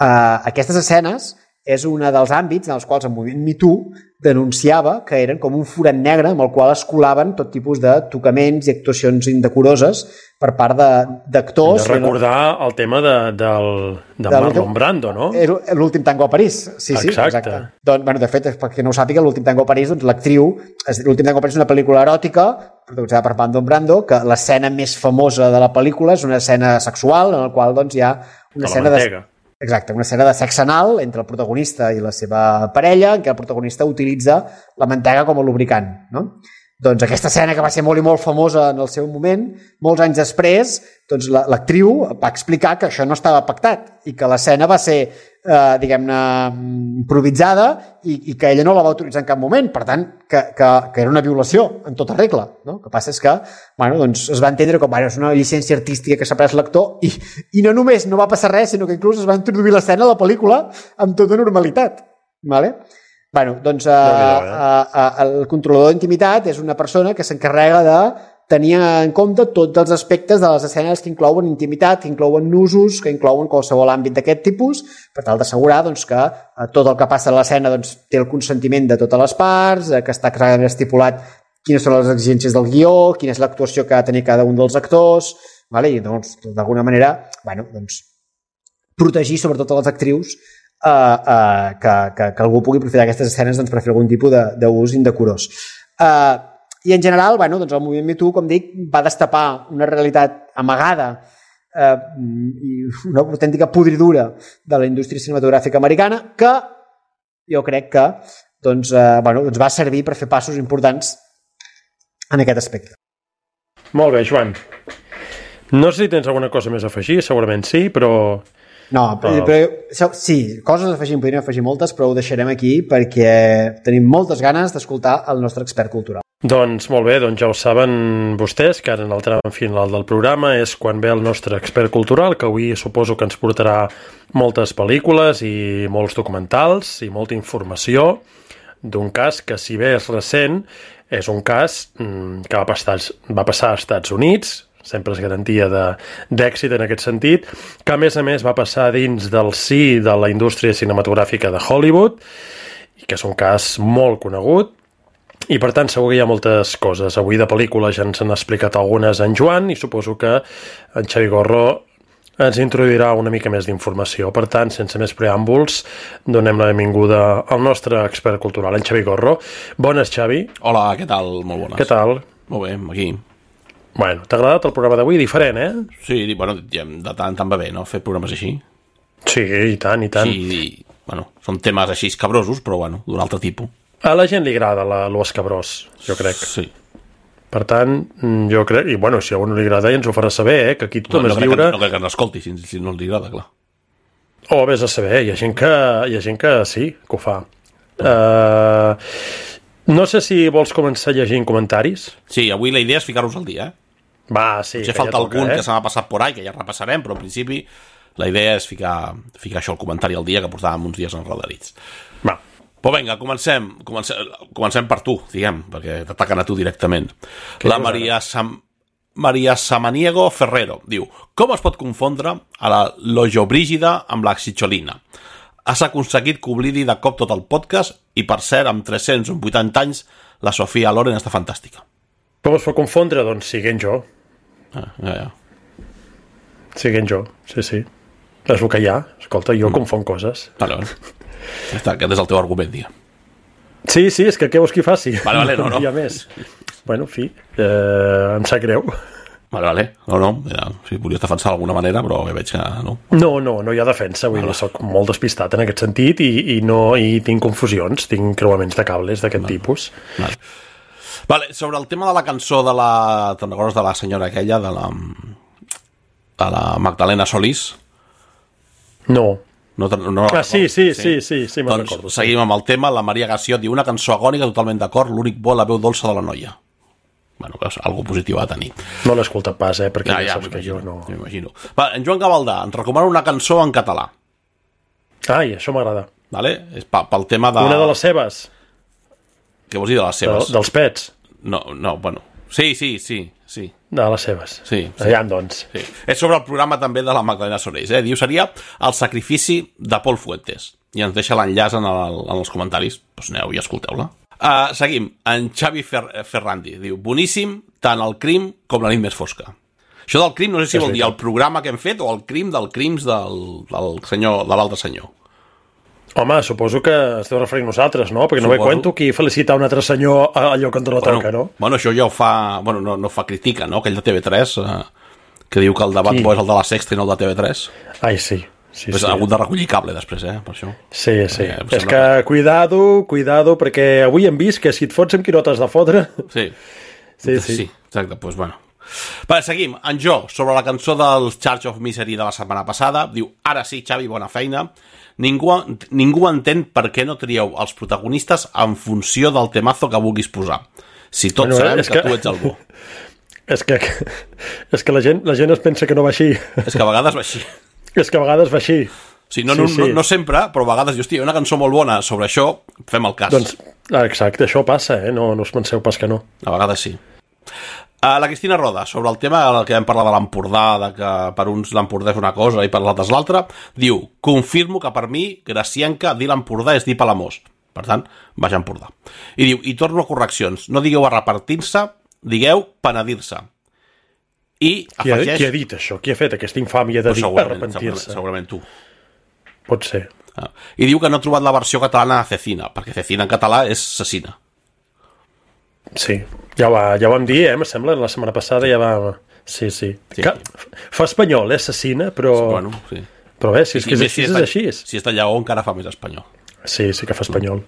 Uh, aquestes escenes és un dels àmbits en els quals el moviment Me Too denunciava que eren com un forat negre amb el qual es colaven tot tipus de tocaments i actuacions indecoroses per part d'actors. De recordar el tema de, del, de, de Marlon Brando, no? L'últim tango a París. Sí, sí, exacte. exacte. Doncs, bueno, de fet, perquè no ho sàpiga, l'últim tango a París, doncs l'actriu, l'últim tango a París és una pel·lícula eròtica protagonitzada per Marlon Brando, que l'escena més famosa de la pel·lícula és una escena sexual en la qual doncs, hi ha una de escena de... Exacte, una escena de sexe anal entre el protagonista i la seva parella, en què el protagonista utilitza la mantega com a lubricant, no? Doncs aquesta escena que va ser molt i molt famosa en el seu moment, molts anys després, doncs l'actriu va explicar que això no estava pactat i que l'escena va ser, eh, diguem-ne, improvisada i, i que ella no la va autoritzar en cap moment, per tant, que, que, que era una violació en tota regla, no? El que passa és que, bueno, doncs es va entendre com, bueno, és una llicència artística que s'ha pres l'actor i, i no només no va passar res, sinó que inclús es va introduir l'escena a la pel·lícula amb tota normalitat, ¿vale? Bueno, doncs eh, eh, el controlador d'intimitat és una persona que s'encarrega de tenir en compte tots els aspectes de les escenes que inclouen intimitat, que inclouen nusos, que inclouen qualsevol àmbit d'aquest tipus, per tal d'assegurar doncs, que eh, tot el que passa a l'escena doncs, té el consentiment de totes les parts, eh, que està clarament estipulat quines són les exigències del guió, quina és l'actuació que ha de tenir cada un dels actors, vale? I doncs, d'alguna manera, bueno, doncs, protegir sobretot a les actrius Uh, uh, que, que, que algú pugui aprofitar aquestes escenes doncs, per fer algun tipus d'ús indecorós. Uh, I en general, bueno, doncs el moviment Me Too, com dic, va destapar una realitat amagada uh, i una autèntica podridura de la indústria cinematogràfica americana que jo crec que doncs, uh, bueno, doncs va servir per fer passos importants en aquest aspecte. Molt bé, Joan. No sé si tens alguna cosa més a afegir, segurament sí, però... No, però, però sí, coses a afegir, en podríem afegir moltes, però ho deixarem aquí perquè tenim moltes ganes d'escoltar el nostre expert cultural. Doncs molt bé, doncs ja ho saben vostès, que ara en el tram final del programa és quan ve el nostre expert cultural, que avui suposo que ens portarà moltes pel·lícules i molts documentals i molta informació d'un cas que, si bé és recent, és un cas que va passar, va passar als Estats Units, sempre és garantia d'èxit en aquest sentit, que a més a més va passar dins del si de la indústria cinematogràfica de Hollywood, i que és un cas molt conegut, i per tant segur que hi ha moltes coses. Avui de pel·lícules ja ens han explicat algunes en Joan, i suposo que en Xavi Gorro ens introduirà una mica més d'informació. Per tant, sense més preàmbuls, donem la benvinguda al nostre expert cultural, en Xavi Gorro. Bones, Xavi. Hola, què tal? Molt bones. Què tal? Molt bé, aquí. Bueno, t'ha agradat el programa d'avui? Diferent, eh? Sí, bueno, de tant tant va bé, no?, fer programes així. Sí, i tant, i tant. Sí, i, bueno, són temes així escabrosos, però, bueno, d'un altre tipus. A la gent li agrada l'escabrós, jo crec. Sí. Per tant, jo crec... I, bueno, si a algú no li agrada, ja ens ho farà saber, eh? Que aquí tothom no, no és lliure... Que, no crec que n'escolti, si, si no li agrada, clar. O, vés a saber, hi ha gent que, hi ha gent que sí, que ho fa. Uh, no sé si vols començar llegint comentaris. Sí, avui la idea és ficar-nos al dia, eh? Va, sí. Potser falta ja toca, algun eh? que se m'ha passat por ahí, que ja repassarem, però en principi la idea és ficar, ficar això al comentari al dia, que portàvem uns dies enredarits. Va. Però vinga, comencem, comencem, comencem per tu, diguem, perquè t'ataquen a tu directament. Què la Maria, Sam, Maria Samaniego Ferrero diu: com es pot confondre a la Lojobrígida amb la Xicholina? Has aconseguit que oblidi de cop tot el podcast i, per cert, amb tres-cents vuitanta anys, la Sofia Loren està fantàstica. Com es pot confondre? Doncs siguent jo. Ah, ja, ja. Siguent jo, sí, sí. És el que hi ha. Escolta, jo mm. confon coses. Vale, vale. Ja està, aquest és el teu argument, diguem. Sí, sí, és que què vols que hi faci? Vale, vale, no, no. Hi ha més. Bueno, en fi, eh, em sap greu. Vale, vale. No, no, ja, si volies defensar d'alguna manera, però ja veig que no. No, no, no hi ha defensa. Vull dir, soc molt despistat en aquest sentit i, i, no, i tinc confusions, tinc creuaments de cables d'aquest vale. tipus. Vale. Vale, sobre el tema de la cançó de la... Te'n recordes de la senyora aquella, de la... de la Magdalena Solís? No. No, no ah, sí, sí, sí, sí, sí, me'n doncs recordo. Sí. Seguim amb el tema. La Maria Garcia diu: una cançó agònica, totalment d'acord, l'únic bo, la veu dolça de la noia. Bueno, és algo positiu a tenir. No l'he escoltat pas, eh, perquè ja, ja, ja saps que jo no... M'imagino. Va, en Joan Gavaldà ens recomana una cançó en català. Ai, això m'agrada. Vale? És pel tema de... Una de les seves. Què vols dir de les seves? De, dels pets. No, no, bueno... Sí, sí, sí, sí. De les seves. Sí. sí. Allà, doncs. Sí. És sobre el programa també de la Magdalena Solís, eh? Diu, seria El sacrifici de Paul Fuentes. i ens deixa l'enllaç en, el, en els comentaris. Doncs aneu i escolteu-la. Uh, seguim. En Xavi Fer Ferrandi diu: boníssim, tant el crim com la nit més fosca. Això del crim no sé si vol dir el programa que hem fet o el crim del crims del, del senyor, de l'altre senyor. Home, suposo que esteu referint nosaltres, no? Perquè no me cuento qui felicitar un altre senyor a allò que ens la toca, bueno, no? Bueno, això ja ho fa... Bueno, no, no fa crítica, no? Aquell de T V tres, eh, que diu que el debat bo és el de la Sexta i no el de T V tres. Ai, sí. Sí, pues sí. Ha hagut de recollir cable després, eh, per això. Sí, sí. Perquè, és que, cuidado, cuidado, perquè avui hem vist que si et fots amb qui no t'has de fotre... Sí. Sí, sí. Sí, exacte, doncs pues bueno. Vale, seguim. En Jo, sobre la cançó del Charge of Misery de la setmana passada, diu: ara sí, Xavi, bona feina. Ningú, ningú entén per què no trieu els protagonistes en funció del temazo que vulguis posar. Si tots bueno, sabem que, que tu ets el bo. És que, és que la, gent, la gent es pensa que no va així. És que a vegades va així. És que a vegades va així. Sí, no, sí, no, sí. No, no sempre, però a vegades, hòstia, una cançó molt bona sobre això, fem el cas. Doncs, exacte, això passa, eh? No, no us penseu pas que no. A vegades sí. Uh, la Cristina Roda, sobre el tema que vam parlar de l'Empordà, de que per uns l'Empordà és una cosa i per l'altres l'altra, diu: confirmo que per mi, Gracienca, dir l'Empordà és dir Palamós. Per tant, vaja Empordà. I diu: i torno a correccions, no digueu arrepentir-se, digueu penedir-se. I qui, afegeix... ha, qui ha dit això? Qui ha fet aquesta infàmia de dir arrepentir-se? Segurament, segurament tu. Pot ser. Ah. I diu que no ha trobat la versió catalana de Cecina, perquè Cecina en català és Cecina. Sí, ja, va, ja ho vam dir, eh, me sembla, la setmana passada ja va... Sí, sí. sí. Que, fa espanyol, eh, Cecina, però... Sí, bueno, sí. Però bé, si és que és, si és, és així. Si és de Lleó encara fa més espanyol. Sí, sí que fa espanyol.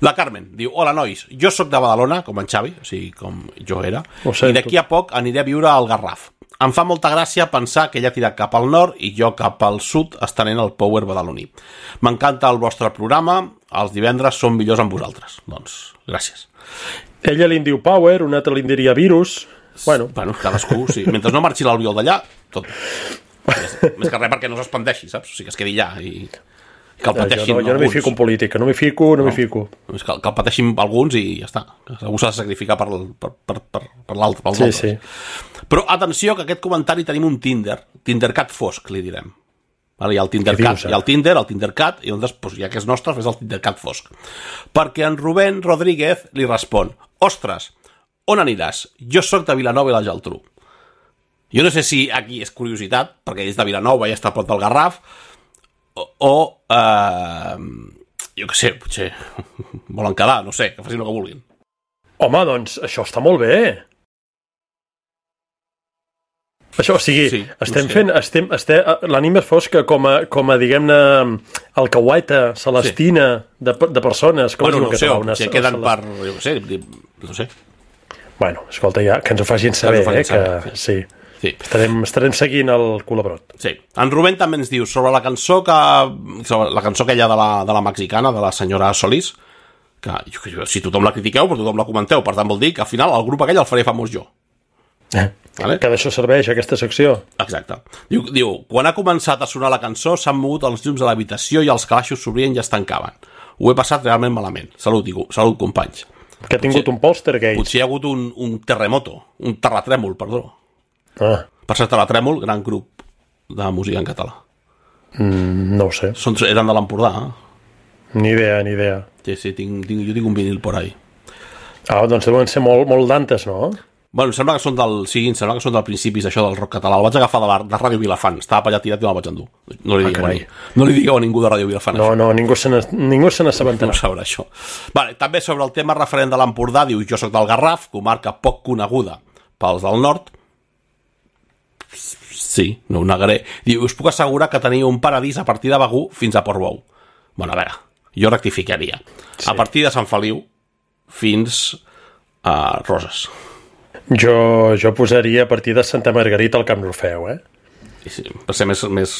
La Carmen diu: hola, nois, jo sóc de Badalona, com en Xavi, o sigui, com jo era, i d'aquí a poc aniré a viure al Garraf. Em fa molta gràcia pensar que ella ha tirat cap al nord i jo cap al sud estenent el power badaloní. M'encanta el vostre programa, els divendres són millors amb vosaltres. Doncs, gràcies. Ella li en diu power, un altre li en diria virus. Bueno, bueno cadascú, sí. Mentre no marxi l'albiol d'allà, tot. Més, més que res perquè no s'expandeixi, saps? O sigui, que es quedi allà i... que el pateixin jo no, jo no m'hi fico en política, no m'hi fico, no, no. m'hi fico. Que, que el pateixin alguns i ja està. Algú s'ha de sacrificar per, per, per, per, per l'altre, pels sí, altres. Sí. Però atenció, que aquest comentari tenim un Tinder, Tindercat fosc, li direm. Vale, hi ha el Tindercat, hi ha el Tinder, el Tindercat, i llavors, pues, ja que és nostre, fes el Tindercat fosc. Perquè en Rubén Rodríguez li respon: ostres, on aniràs? Jo sóc de Vilanova i la Geltrú. Jo no sé si aquí és curiositat, perquè és de Vilanova i està a prop del Garraf, o, o eh, jo què sé, potser volen quedar, no sé, que facin el que vulguin. Home, doncs això està molt bé. Això, o sigui, sí, estem no sé. fent... Estem, estem, l'ànima fosca com a, com a diguem-ne, alcahueta, celestina, sí. de, de persones. Com bueno, no sé, una, si queden per... Jo què sé, no sé. Bueno, escolta, ja, que ens ho facin saber, eh, que saber, sí. sí. Sí. Estarem, estarem seguint el colabrot. Sí. En Rubén també ens diu sobre la cançó que sobre la cançó aquella de la, de la mexicana, de la senyora Solís, que jo, si tothom la critiqueu, però tothom la comenteu, per tant vol dir que al final el grup aquell el faré famós jo. Eh, vale? Que d'això serveix aquesta secció. Exacte. Diu, diu, quan ha començat a sonar la cançó s'han mogut els llums de l'habitació i els calaixos s'obrien i es tancaven. Ho he passat realment malament. Salut, diu, salut companys. Que ha tingut potser, un poltergeist. Potser hi ha hagut un, un terremoto, un terratrèmol, perdó. Ah. Per ser Terratrèmol, gran grup de música en català. Mm, no ho sé. Són, eren de l'Empordà. Eh? Ni idea, ni idea. Sí, sí, tinc, tinc, jo tinc un vinil por ahí. Ah, doncs deuen ser molt, molt d'antes, no? Bueno, sembla que són del... Sí, sembla que són del principis això del rock català. El vaig agafar de, la, de Ràdio Vilafant. Estava per allà tirat i me'l vaig endur. No li, ah, digueu, a, no li digueu a ningú de Ràdio Vilafant. No, això. no, ningú se n'assabentarà. No sabrà això. Vale, també sobre el tema referent de l'Empordà, diu: jo soc del Garraf, comarca poc coneguda pels del nord. Sí, no ho negaré. Diu: us puc assegurar que teniu un paradís a partir de Begur fins a Portbou. Bueno, a veure, jo rectificaria. Sí. A partir de Sant Feliu fins a Roses. Jo, jo posaria a partir de Santa Margarita al Camp Rufeu, eh? Sí, per ser més... més...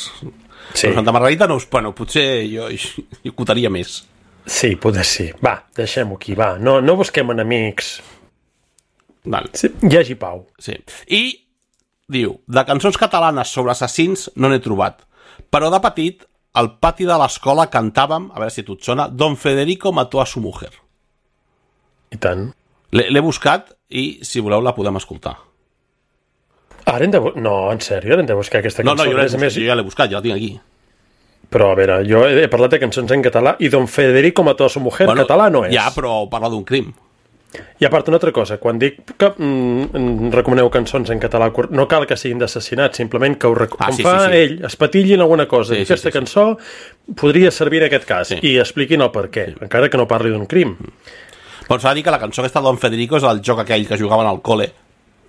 Sí. Però Santa Margarita, no, bueno, potser jo hi cotaria més. Sí, poder sí. Va, deixem-ho aquí, va. No, no busquem enemics. Vale. Sí, hi hagi pau. Sí. I diu: de cançons catalanes sobre assassins no n'he trobat, però de petit al pati de l'escola cantàvem, a veure si a tu et sona, Don Federico mató a su mujer. I tant. L'he buscat i si voleu la podem escoltar. Ara hem de... No, en sèrio, ara hem de buscar aquesta cançó. No, no, jo, més... jo ja l'he buscat, ja la tinc aquí. Però, a veure, jo he parlat de cançons en català i Don Federico mató a su mujer, bueno, català no és. Ja, però parla d'un crim. I a part, una altra cosa, quan dic que mm, recomaneu cançons en català, no cal que siguin d'assassinat, simplement que ho rec... ah, com sí, fa sí, sí. ell, es patillin alguna cosa. Sí, I aquesta sí, sí, cançó sí. podria servir en aquest cas, sí. i expliquin el per què, sí. encara que no parli d'un crim. Però s'ha de dir que la cançó aquesta de Don Federico és el joc aquell que jugaven al col·le,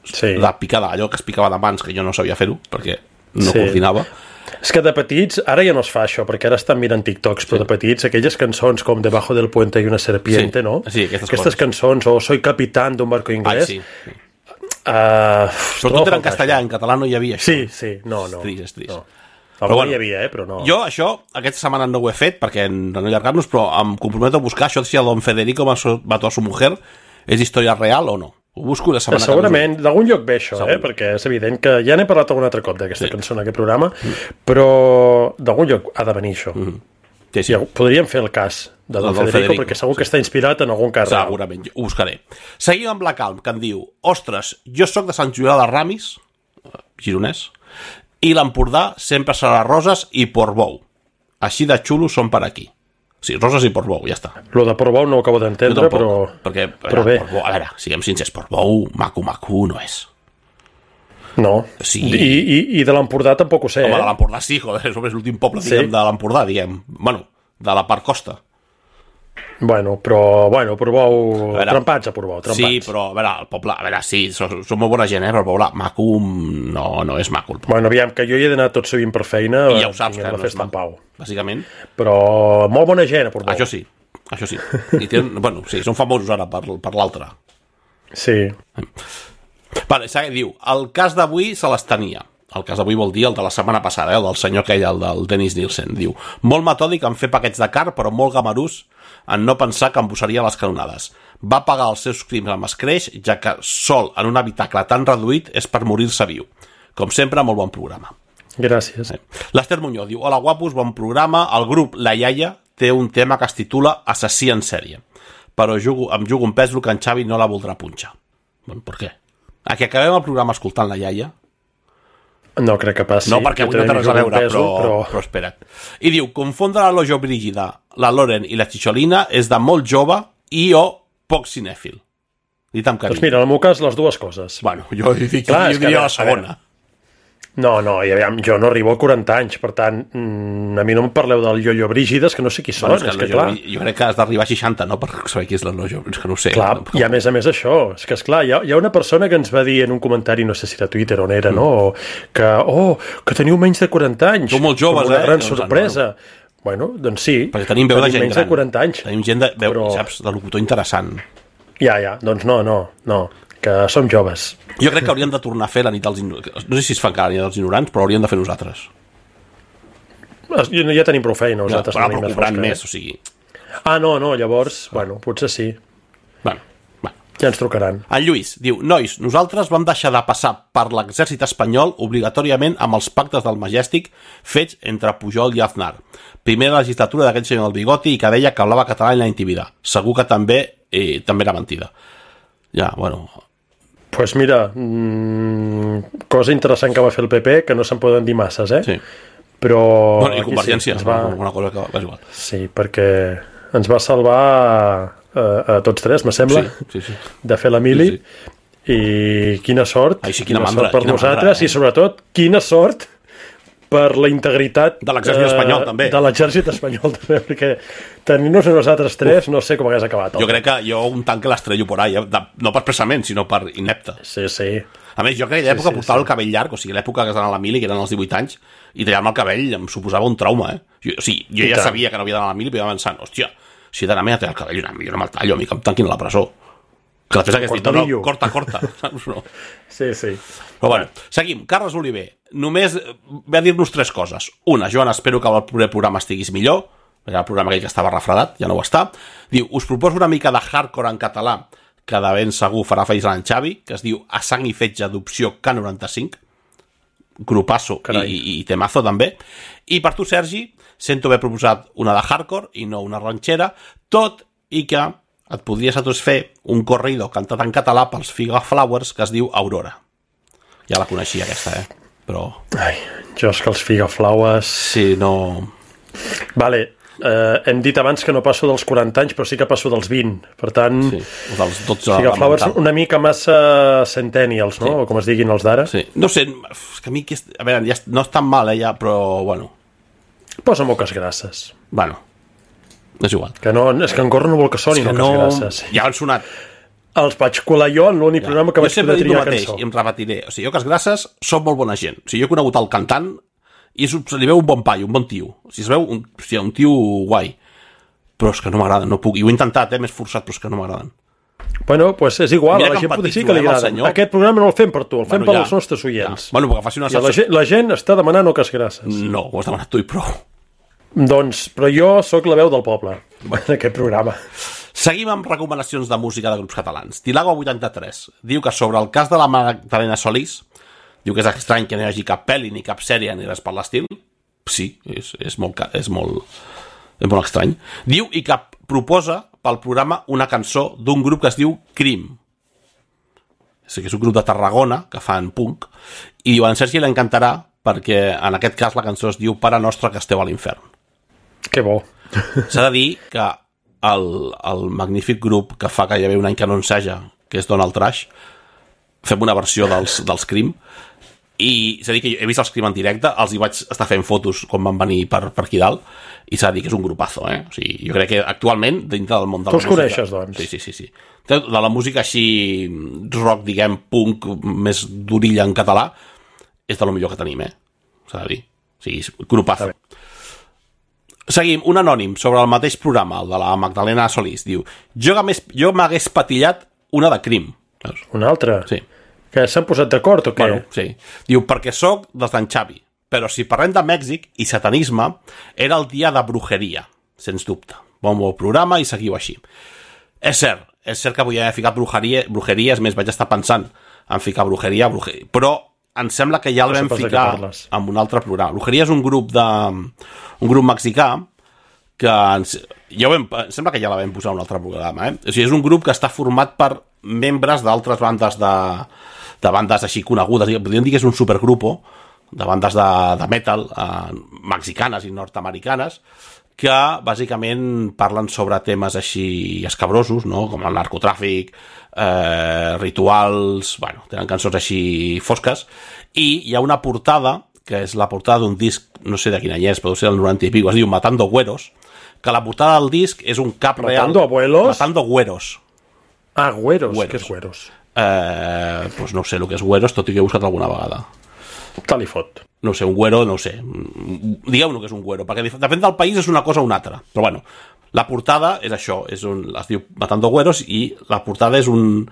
sí. de picada, allò que es picava de mans, que jo no sabia fer-ho, perquè no sí. coordinava. És que de petits, ara ja no es fa això, perquè ara estan mirant TikToks, però sí. de petits, aquelles cançons com Debajo del puente y una serpiente, sí. no? Sí, aquestes, aquestes cançons, o Soy capitán d'un barco inglès. Ai, sí. sí. Uh, però tot era en castellà, això. En català no hi havia això. Sí, sí, no, no. És trist, és trist. No. Però bueno, hi havia, eh, però no. Jo això, aquesta setmana no ho he fet, perquè no allargar-nos, però em comprometo a buscar això si el Don Federico mató a su mujer és història real o no. Ho busco la setmana segurament, que d'algun lloc ve això, eh? Perquè és evident que ja n'he parlat algun altre cop d'aquesta sí. cançó en aquest programa, mm. però d'algun lloc ha de venir això. Mm. Sí, sí. I podríem fer el cas de Don, Don Federico, Federico, perquè segur sí. que està inspirat en algun cas. Segurament, ho buscaré. Seguim amb la Calm, que em diu: ostres, jo sóc de Sant Julià de Ramis, gironès, i l'Empordà sempre serà Roses i Portbou. Així de xulos són per aquí. Sí, Roses i Portbou, ja està. Lo de Portbou no ho acabo d'entendre, però... Perquè, però bé. Portbou, a veure, siguem sincers, Portbou, maco-maco no és. No. Sí. I, i, i de l'Empordà tampoc ho sé, Home, eh? de l'Empordà sí, joder, és l'últim poble, diguem, sí. de l'Empordà, diguem. Bueno, de la part costa. Bueno, però, bueno, Portbou... Veure, trempats a Portbou, trempats. Sí, però, a veure, el poble... A veure, sí, són, són molt bona gent, eh, però el poble maco no, no és maco. Bueno, aviam, que jo hi he d'anar tot sovint per feina... I ja ho saps, que no és maco, Pau. Bàsicament. Però molt bona gent a Portbou. Això sí, això sí. I tenen, bueno, sí, són famosos ara per, per l'altre. Sí. Vale, diu, el cas d'avui se les tenia. El cas d'avui vol dir el de la setmana passada, eh, el del senyor aquell, el del Dennis Nielsen. Diu, molt metòdic en fer paquets de car, però molt gamarús en no pensar que embossaria les canonades. Va pagar els seus crims amb escreix, ja que sol en un habitacle tan reduït és per morir-se viu. Com sempre, molt bon programa. Gràcies. Eh. L'Ester Muñoz diu, hola guapos, bon programa. El grup La Iaia té un tema que es titula Assassí en sèrie, però jugo, em jugo un pes que en Xavi no la voldrà punxar. Bueno, per què? A que acabem el programa escoltant La Iaia? No crec que passi. No, perquè avui no té res a veure, peso, però, però... però espera't. I diu, confondre la Lojo Brígida, la Loren i la Xixolina és de molt jove i o poc cinèfil. Dit amb carinyo. Doncs mira, en el meu cas, les dues coses. Bueno, jo, dic, Clar, jo diria la segona. No, no, i aviam, jo no arribo a quaranta anys, per tant, mm, a mi no em parleu del Llollo Brígides, que no sé qui són, bueno, és, que, és que clar... Jo crec que has d'arribar a seixanta, no?, per saber qui és la Lojo, és que no ho sé. Clar, no? I a més a més això, és que esclar, hi ha, hi ha una persona que ens va dir en un comentari, no sé si era Twitter on era, mm. no?, que, oh, que teniu menys de quaranta anys. Som molt joves, una eh? gran sorpresa. No, no. Bueno, doncs sí. Perquè tenim veu de gent menys gran. de quaranta anys. Tenim gent de, veu, però... saps, de locutor interessant. Ja, ja, doncs no, no, no, que som joves. Jo crec que hauríem de tornar a fer la nit dels ignorants. No sé si es fa encara la nit dels ignorants, però hauríem de fer nosaltres. Ja tenim prou feina, nosaltres. No, però, però cobrant més, o sigui... Ah, no, no, llavors, bueno, potser sí. Bueno, bueno. Ja ens trucaran. En Lluís diu, nois, nosaltres vam deixar de passar per l'exèrcit espanyol obligatòriament amb els pactes del Majestic fets entre Pujol i Aznar. Primera legislatura d'aquell senyor del bigoti i que deia que hablava català i la intimida. Segur que també, eh, també era mentida. Ja, bueno... Pues mira, mmm, cosa interessant que va fer el P P, que no se'n poden dir masses, eh? Sí. Però... Bueno, i Convergència, sí, va... una cosa que va igual. Sí, perquè ens va salvar a, a tots tres, me sembla, sí, sí, sí. de fer la mili, sí, sí. I quina sort, Ai, sí, quina, quina mandra, sort per quina nosaltres, mandra, eh? I sobretot, quina sort per la integritat de l'exèrcit eh, espanyol, també. De l'exèrcit espanyol, també, perquè tenir-nos a nosaltres tres, Uf. no sé com hagués acabat. Jo crec que jo un tanc que l'estrello por ahí, de, no per expressament, sinó per inepte. Sí, sí. A més, jo crec que l'època sí, sí, portava sí. el cabell llarg, o sigui, l'època que es d'anar a la mili, que eren els divuit anys, i tallar-me el cabell em suposava un trauma, eh? Jo, o sigui, jo I ja tant. sabia que no havia d'anar a la mili, però iba pensant, hòstia, si he d'anar a tallar el cabell, una millor no me'l tallo, a mi que em tanquin a la presó. Que després hagués dit, no, no, corta, corta. No. Sí, sí. Però bueno, seguim. Carles Oliver, només ve a dir-nos tres coses. Una, Joan, espero que el proper programa estiguis millor, perquè el programa aquell que estava refredat, ja no ho està. Diu, us proposo una mica de hardcore en català, que de ben segur farà feix en Xavi, que es diu A sang i fetge d'opció K noranta-cinc, grupasso i, i, i temazo també. I per tu, Sergi, sento haver proposat una de hardcore i no una ranxera, tot i que et podries a tots fer un corrido cantat en català pels Figa Flowers que es diu Aurora. Ja la coneixia aquesta, eh? Però... Ai, jo és que els Figa Flowers... Sí, no... Vale, eh, hem dit abans que no passo dels quaranta anys, però sí que passo dels vint. Per tant, Sí, o dels dotze... o sigui, Flowers una mica massa centennials, no? Sí. O com es diguin els d'ara. Sí. No sé, és que a mi... Que és... A veure, ja no és tan mal, eh, ja, però, bueno... Posa moques grasses. Bueno, és igual. Que no, és que en Gorro no vol que sonin És que moques no... grasses. Ja han sonat. Els vaig colar jo en l'únic Ja. programa que Jo vaig sempre poder dic el triar mateix, cançó. i em repetiré. O sigui, jo que els grasses són molt bona gent. O sigui, jo he conegut el cantant i és, se li veu un bon paio, un bon tio. O sigui, es veu un, o sigui, un tio guai. Però és que no m'agraden, no puc. I ho he intentat, eh, m'he esforçat, però és que no m'agraden. Bueno, doncs pues és igual, Mira a la que gent potser sí empatitzo, que li eh, amb el agrada. senyor. Aquest programa no el fem per tu, el fem Bueno, per ja, als nostres oients. Ja. Bueno, perquè faci una I la, salsa... gent, la gent està demanant moques grasses. No, ho has demanat tu i prou. Doncs, però jo sóc la veu del poble en aquest programa. Seguim amb recomanacions de música de grups catalans. Tilago vuitanta-tres diu que sobre el cas de la Magdalena Solís, diu que és estrany que no hi hagi cap pel·li ni cap sèrie ni res per l'estil. Sí, és, és, molt, és, molt, és molt estrany. Diu i que proposa pel programa una cançó d'un grup que es diu Crim. És, que és un grup de Tarragona que fan punk i diu, a en Sergi l'encantarà perquè en aquest cas la cançó es diu Pare nostre que esteu a l'infern. Que bo. S'ha de dir que el, el magnífic grup que fa gairebé un any que no enseja, que és Donald Trash, fem una versió dels, dels Crim, i s'ha de dir que he vist els Crim en directe, els hi vaig estar fent fotos quan van venir per, per aquí dalt, i s'ha de dir que és un grupazo, eh? O sigui, jo crec que actualment, dintre del món de la música... Tu els música... coneixes, doncs? Sí, sí, sí, sí. De la música així, rock, diguem, punk, més d'orilla en català, és de lo millor que tenim, eh? S'ha de dir. O sigui, grupazo. Seguim, un anònim sobre el mateix programa, el de la Magdalena Solís, diu, jo m'hagués patillat una de Crim. Una altra? Sí. Que s'han posat d'acord o què? Bueno, sí. Diu, perquè sóc dels d'en Xavi, però si parlem de Mèxic i satanisme, era el dia de brujeria, sens dubte. Bon, bon programa i seguiu així. És cert, és cert que podia haver ficat brujeria, brujeria, és més, vaig estar pensant en ficar brujeria, brujeria, però em sembla que ja el No sé vam pas de què ficar parles. en un altre programa. Brujeria és un grup de... un grup mexicà que ens, ja ho vam, em sembla que ja la vam posar en un altre programa, eh? O sigui, és un grup que està format per membres d'altres bandes de, de bandes així conegudes, podríem dir que és un supergrupo de bandes de, de metal eh, mexicanes i nord-americanes que bàsicament parlen sobre temes així escabrosos, no? Com el narcotràfic, eh, rituals, bueno, tenen cançons així fosques, i hi ha una portada, que és la portada d'un disc, no sé de quin any és, però deu ser del noranta i pico, es diu Matando Güeros, que la portada del disc és un cap real... Matando abuelos? Matando Güeros. Ah, güeros. Güeros. Què és güeros? Eh, doncs no sé el que és güeros, tot i que he buscat alguna vegada. Tal i fot. No sé, un güero, no ho sé. Digueu-ne que és un güero, perquè depèn del país és una cosa o una altra. Però bueno, la portada és això, és un, es diu Matando Güeros, i la portada és un,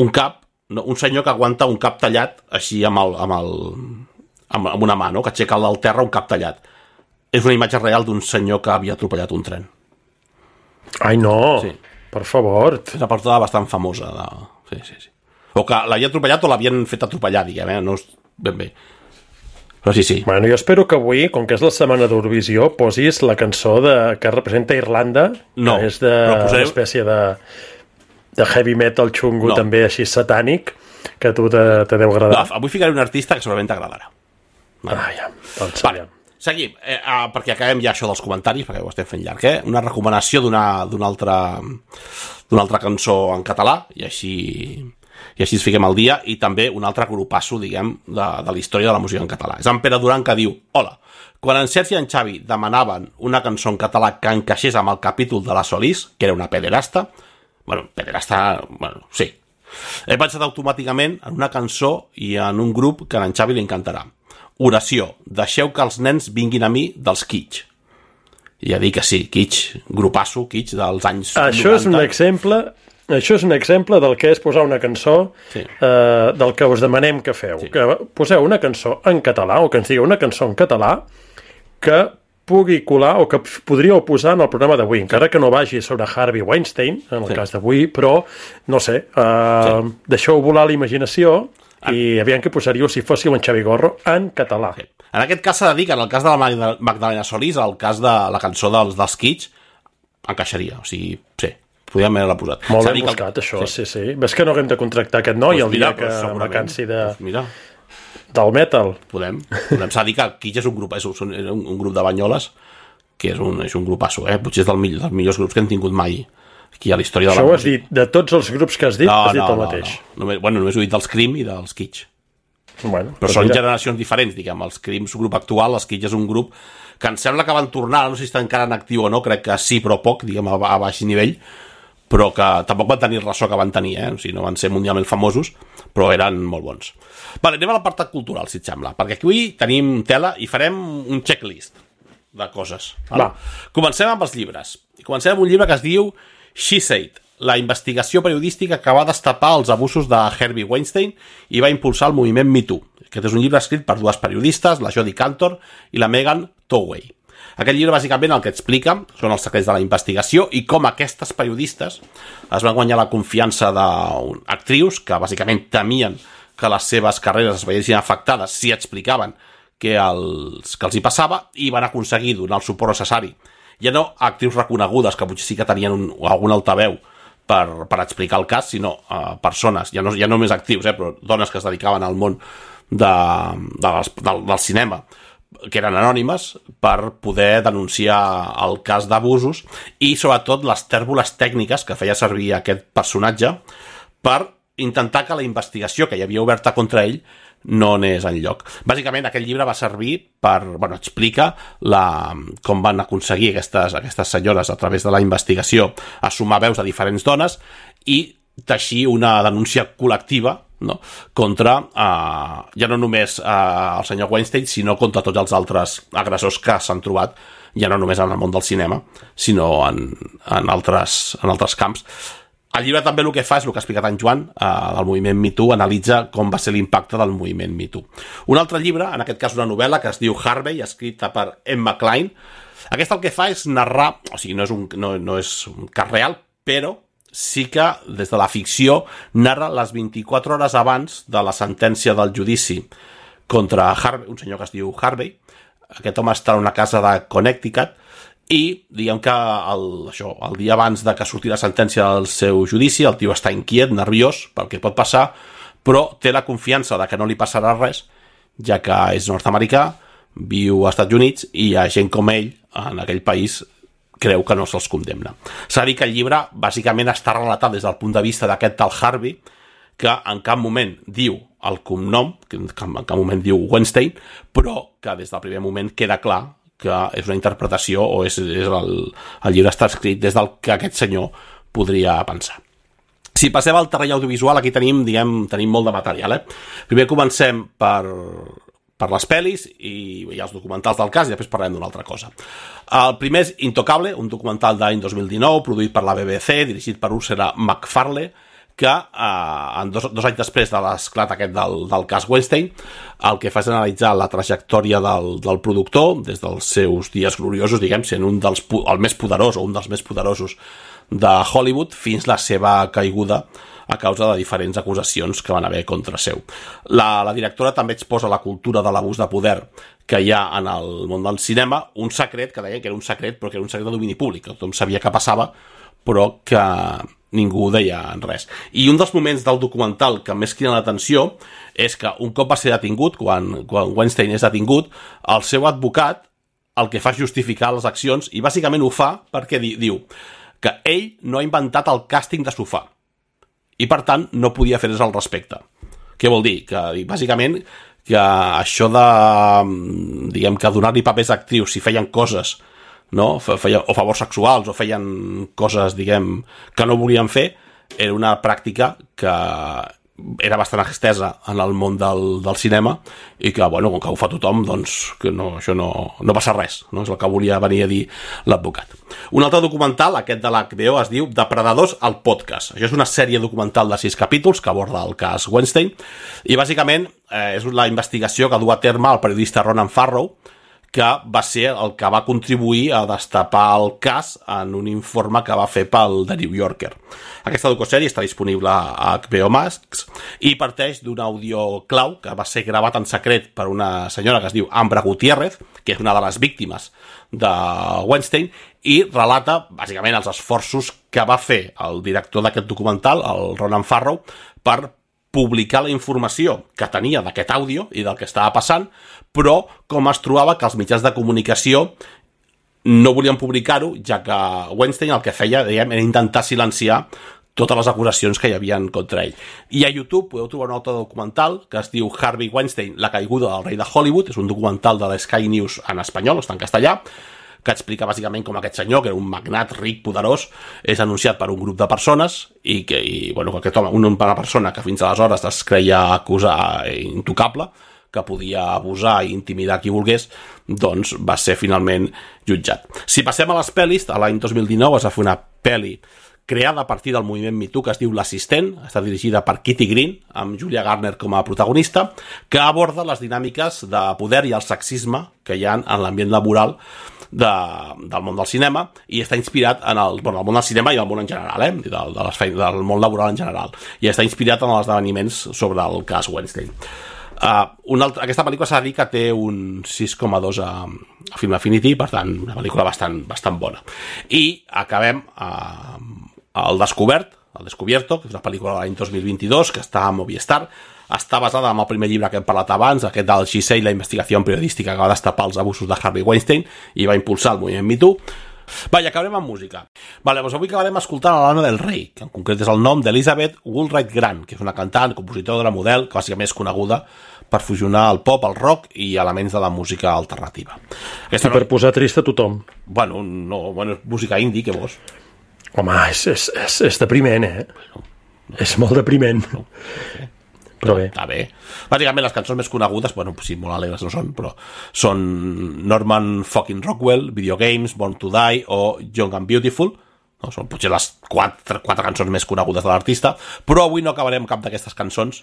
un cap, no, un senyor que aguanta un cap tallat així amb, el, amb, el, amb, amb una mà, no? Que aixeca del terra un cap tallat. És una imatge real d'un senyor que havia atropellat un tren. Ai, no. Sí. Per favor. És una portada bastant famosa. De... Sí, sí, sí. O que l'havien atropellat o l'havien fet atropellar, diguem, eh? No és ben bé. Però sí, sí. Bueno, jo espero que avui, com que és la setmana d'Eurovisió, posis la cançó de, que representa Irlanda, No, que és de posaré... una espècie de, de heavy metal xungo, No. també així satànic, que a tu te, te deu agradar. No, avui ficaré un artista que segurament t'agradarà. Ah, ja. Doncs, Vale. Seguim, eh, ah, perquè acabem ja això dels comentaris, perquè ho estem fent llarg, eh? Una recomanació d'una d'una altra, d'una altra cançó en català, i així, i així ens fiquem al dia, i també un altre grupasso, diguem, de, de la història de la música en català. És en Pere Duran que diu, hola, quan en Sergi i en Xavi demanaven una cançó en català que encaixés amb el capítol de la Solís, que era una pederasta, bueno, pederasta, bueno, sí, he pensat automàticament en una cançó i en un grup que a en Xavi li encantarà. Oració, deixeu que els nens vinguin a mi dels Kitsch. I ja dic que sí, Kitsch, grupasso, Kitsch dels anys Això noranta. és un exemple... Això és un exemple del que és posar una cançó, Sí. eh, del que us demanem que feu. Sí. Que poseu una cançó en català, o que ens digueu una cançó en català, que pugui colar o que podríeu posar en el programa d'avui, encara que no vagi sobre Harvey Weinstein, en el Sí. cas d'avui, però, no sé, eh, Sí. deixeu volar la imaginació i aviam què posaríeu si fóssiu en Xavi Gorro en català. Sí. En aquest cas s'ha de dir que en el cas de la Magda- Magdalena Solís, el cas de la cançó dels, dels Kitsch, encaixaria, o sigui, sí, podríem haver-la posat. Molt S'ha de ben dir que buscat, el... això, sí, sí. Ves que no haguem de contractar aquest noi Doncs el mira, dia que doncs me segurament. cansi de, Doncs mira, del metal. podem. podem. S'ha de dir que Kitsch és un grup, és un, un, un grup de banyoles que és un, és un grupasso, eh? Potser és del millor, dels millors grups que hem tingut mai aquí a la història de la música. Això ho has música. dit, de tots els grups que has dit, no, has dit no, el no, mateix. No. Només, bueno, només he dit dels Cream i dels Kitsch. Bueno, però són mira. generacions diferents, diguem. Els Cream és un grup actual, els Kitsch és un grup que em sembla que van tornar, no sé si estan encara en actiu o no, crec que sí, però poc, diguem, a, a baix nivell, però que tampoc van tenir el ressò que van tenir, eh? O sigui, no van ser mundialment famosos, però eren molt bons. Vale, anem a l'apartat cultural, si et sembla, perquè aquí tenim tela i farem un checklist de coses. Vale? Comencem amb els llibres. I comencem amb un llibre que es diu She Said, la investigació periodística que va destapar els abusos de Harvey Weinstein i va impulsar el moviment Me Too. Aquest és un llibre escrit per dues periodistes, la Jodie Cantor i la Megan Twohey. Aquest llibre, bàsicament, el que explica són els secrets de la investigació i com aquestes periodistes es van guanyar la confiança d'actrius que, bàsicament, temien que les seves carreres es veiessin afectades si explicaven què els, que els hi passava i van aconseguir donar el suport necessari. Ja no a actrius reconegudes, que potser sí que tenien un, algun altaveu per, per explicar el cas, sinó a persones, ja no, ja no només actrius, eh, però dones que es dedicaven al món de, de, del, del cinema, que eren anònimes, per poder denunciar el cas d'abusos i, sobretot, les tèrboles tècniques que feia servir aquest personatge per intentar que la investigació que hi havia oberta contra ell no anés enlloc. Bàsicament, aquest llibre va servir per, bueno, explica la, com van aconseguir aquestes, aquestes senyores a través de la investigació a sumar veus de diferents dones i teixir una denúncia col·lectiva, no?, contra eh, ja no només eh, el senyor Weinstein, sinó contra tots els altres agressors que s'han trobat, ja no només en el món del cinema, sinó en, en, altres, en altres camps. El llibre també el que fa és el que ha explicat en Joan, eh, del moviment Me Too, analitza com va ser l'impacte del moviment Me Too. Un altre llibre, en aquest cas una novel·la, que es diu Harvey, escrita per Emma Cline. Aquesta el que fa és narrar, o sigui, no és un, no, no és un cas real, però sí que, des de la ficció, narra les vint-i-quatre hores abans de la sentència del judici contra Harvey, un senyor que es diu Harvey. Aquest home està en una casa de Connecticut, i diguem que el, això, el dia abans de que surti la sentència del seu judici, el tio està inquiet, nerviós pel que pot passar, però té la confiança de que no li passarà res, ja que és nord-americà, viu als Estats Units i hi ha gent com ell en aquell país creu que no se'ls condemna. S'ha de dir que el llibre bàsicament està relatat des del punt de vista d'aquest tal Harvey, que en cap moment diu el cognom, que en cap moment diu Weinstein, però que des del primer moment queda clar que és una interpretació o és, és el, el llibre està escrit des del que aquest senyor podria pensar. Si passem al terreny audiovisual, aquí tenim, diguem, tenim molt de material. Eh? Primer comencem per, per les pel·lis i, i els documentals del cas i després parlem d'una altra cosa. El primer és Intocable, un documental d'any dos mil dinou, produït per la B B C, dirigit per Ursula Macfarlane, que eh, en dos, dos anys després de l'esclat aquest del, del cas Weinstein, el que fa és analitzar la trajectòria del, del productor des dels seus dies gloriosos, diguem, sent un dels, el més poderós o un dels més poderosos de Hollywood, fins la seva caiguda a causa de diferents acusacions que van haver contra seu. La, la directora també exposa la cultura de l'abús de poder que hi ha en el món del cinema, un secret, que deien que era un secret, però que era un secret de domini públic, que tothom sabia què passava, però que ningú deia res. I un dels moments del documental que més crida l'atenció és que un cop va ser detingut, quan, quan Weinstein és detingut, el seu advocat el que fa és justificar les accions i bàsicament ho fa perquè di, diu que ell no ha inventat el càsting de sofà i per tant no podia fer res al respecte. Què vol dir? Que bàsicament que això de, diguem, que donar-li papers a actrius si feien coses, no? Feien, o favors sexuals o feien coses, diguem, que no volien fer, era una pràctica que era bastant extesa en el món del, del cinema i que, bueno, com que ho fa tothom, doncs que no, això no, no passa res, no? És el que volia venir a dir l'advocat. Un altre documental, aquest de l'H B O, es diu Depredadors al podcast. Això és una sèrie documental de sis capítols que aborda el cas Weinstein i bàsicament eh, és la investigació que du a terme el periodista Ronan Farrow, que va ser el que va contribuir a destapar el cas en un informe que va fer pel The New Yorker. Aquesta docussèrie està disponible a H B O Max i parteix d'un àudio clau que va ser gravat en secret per una senyora que es diu Ambra Gutiérrez, que és una de les víctimes de Weinstein, i relata, bàsicament, els esforços que va fer el director d'aquest documental, el Ronan Farrow, per publicar la informació que tenia d'aquest àudio i del que estava passant, però com es trobava que els mitjans de comunicació no volien publicar-ho, ja que Weinstein el que feia, diguem, era intentar silenciar totes les acusacions que hi havia contra ell. I a YouTube podeu trobar un altre documental que es diu Harvey Weinstein, la caiguda del rei de Hollywood. És un documental de l'Sky News en espanyol, està en castellà, que explica bàsicament com aquest senyor, que era un magnat ric, poderós, és anunciat per un grup de persones i que, i, bueno, aquest home, una persona que fins aleshores es creia acusar intocable, que podia abusar i intimidar qui volgués, doncs va ser finalment jutjat. Si passem a les pel·lis, l'any dos mil dinou es va fer una pel·li creada a partir del moviment Me Too que es diu L'Assistent, està dirigida per Kitty Green, amb Julia Garner com a protagonista, que aborda les dinàmiques de poder i el sexisme que hi ha en l'ambient laboral de, del món del cinema, i està inspirat en el, bueno, el món del cinema i el món en general, eh? de, de les feines, del món laboral en general, i està inspirat en els esdeveniments sobre el cas Weinstein. Uh, una altra, aquesta pel·lícula s'ha de dir que té un sis coma dos a, a Film Affinity, per tant, una pel·lícula bastant, bastant bona. I acabem uh, El Descobert, El Descubierto, que és una pel·lícula de l'any dos mil vint-i-dos, que està a Movistar. Està basada en el primer llibre que hem parlat abans, aquest del She Say, la investigació periodística que va destapar els abusos de Harvey Weinstein i va impulsar el moviment Me Too. Va, i acabarem amb música. Vale, doncs avui acabarem escoltant a l'Anna del Rei, que en concret és el nom d'Elizabeth Woolright Grant, que és una cantant, compositora, model, que bàsicament és coneguda per fusionar el pop, el rock i elements de la música alternativa. Aquesta I no... per posar trist a tothom. Bueno, no, bueno, música indie, què vols? Home, és, és, és, és depriment, eh? No, no. És molt depriment. No, okay. Però bé. Està bé. Bàsicament, les cançons més conegudes, bueno, sí, molt alegres no són, però són Norman fucking Rockwell, Video Games, Born to Die o Young and Beautiful. No? Són potser les quatre, quatre cançons més conegudes de l'artista, però avui no acabarem cap d'aquestes cançons,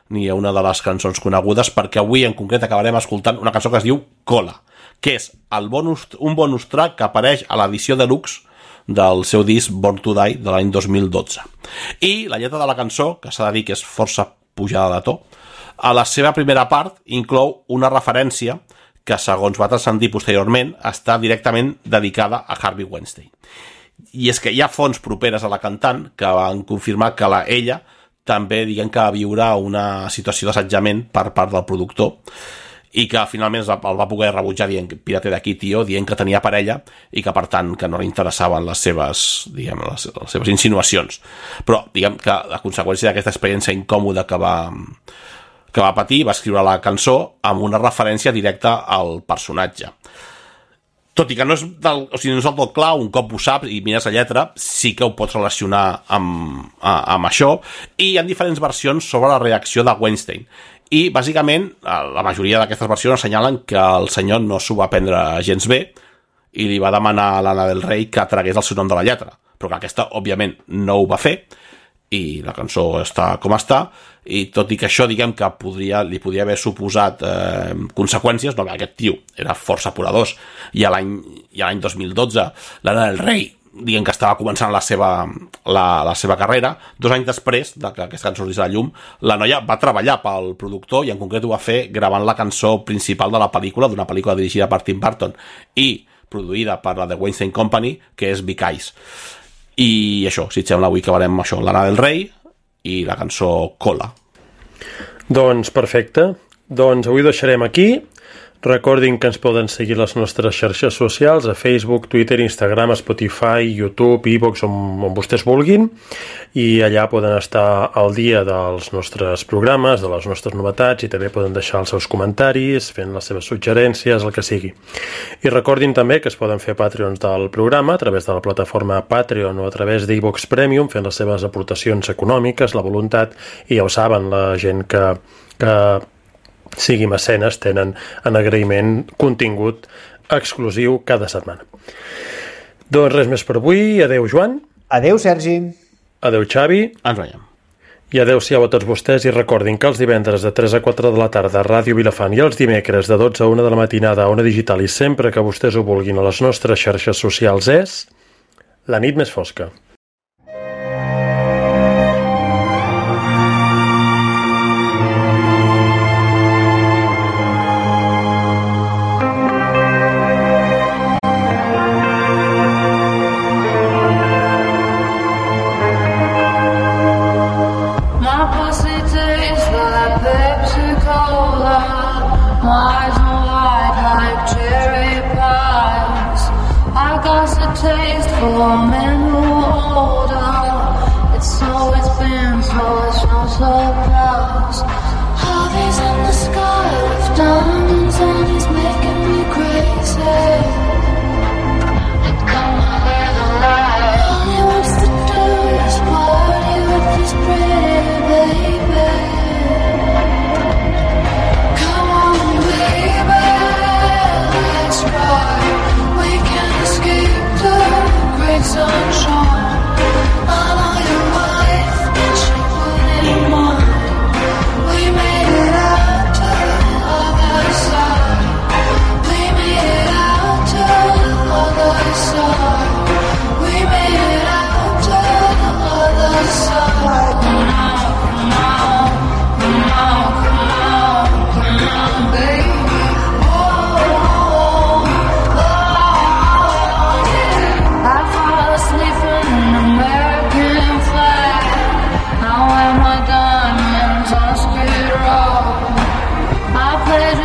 ni una de les cançons conegudes, perquè avui en concret acabarem escoltant una cançó que es diu Cola, que és el bonus, un bonus track que apareix a l'edició deluxe del seu disc Born to Die de l'any dos mil dotze. I la lletra de la cançó, que s'ha de dir que és força pujada de to, a la seva primera part inclou una referència que, segons va transcendir posteriorment, està directament dedicada a Harvey Weinstein. I és que hi ha fonts properes a la cantant que van confirmar que la, ella també, diguem que va viure una situació d'assetjament per part del productor i que finalment el va poder rebutjar dient pirate d'aquí, tio, dient que tenia parella i que per tant que no li interessaven les seves, diguem, les, les seves insinuacions. Però diguem que a conseqüència d'aquesta experiència incòmoda que va, que va patir, va escriure la cançó amb una referència directa al personatge. Tot i que no és, del, o sigui, no és del tot clar, un cop ho saps i mires la lletra, sí que ho pots relacionar amb, amb això, i hi ha diferents versions sobre la reacció de Weinstein. I, bàsicament, la majoria d'aquestes versions assenyalen que el senyor no s'ho va prendre gens bé i li va demanar a l'Anna del Rei que tragués el seu nom de la lletra, però que aquesta, òbviament, no ho va fer i la cançó està com està, i tot i que això, diguem, que podria, li podria haver suposat eh, conseqüències, no, aquest tio era força poderós, i a l'any i a l'any dos mil dotze l'Anna del Rei, diguem que estava començant la seva, la, la seva carrera, dos anys després de que aquesta cançó sortís a la llum, la noia va treballar pel productor i en concret ho va fer gravant la cançó principal de la pel·lícula, d'una pel·lícula dirigida per Tim Burton i produïda per la The Weinstein Company, que és Big Eyes. I això, si et sembla, avui acabarem això, l'Anna del Rei i la cançó Cola. Doncs perfecte. Doncs avui ho deixarem aquí. Recordin que ens poden seguir les nostres xarxes socials a Facebook, Twitter, Instagram, Spotify, YouTube, iVoox, on, on vostès vulguin, i allà poden estar al dia dels nostres programes, de les nostres novetats, i també poden deixar els seus comentaris, fent les seves suggerències, el que sigui. I recordin també que es poden fer Patreons del programa a través de la plataforma Patreon o a través d'iVoox Premium, fent les seves aportacions econòmiques, la voluntat, i ja ho saben, la gent que... que sigui mecenes, tenen en agraïment contingut exclusiu cada setmana. Doncs res més per avui. Adeu, Joan. Adeu, Sergi. Adeu, Xavi. Ens veiem. I adeu-siau a tots vostès, i recordin que els divendres de tres a quatre de la tarda a Ràdio Vilafant i els dimecres de dotze a una de la matinada a Ona Digital i sempre que vostès ho vulguin a les nostres xarxes socials és La nit més fosca. taste for men who hold out. It's always been so, it's no surprise. Harvey's in the sky with diamonds and he's making me crazy. Come on, there's a lie. All he wants to do is party with this pretty baby. Come on, baby, let's ride. We can escape the great sunshine. I know your wife, and she wouldn't mind. We made it out to the other side. We made it out to the other side. We made it out to the other side. Come on, come on, come on, come on, come on, baby. Oh, oh, oh, yeah. I fall asleep in an American flag. I wear my diamonds on Skid Row. I played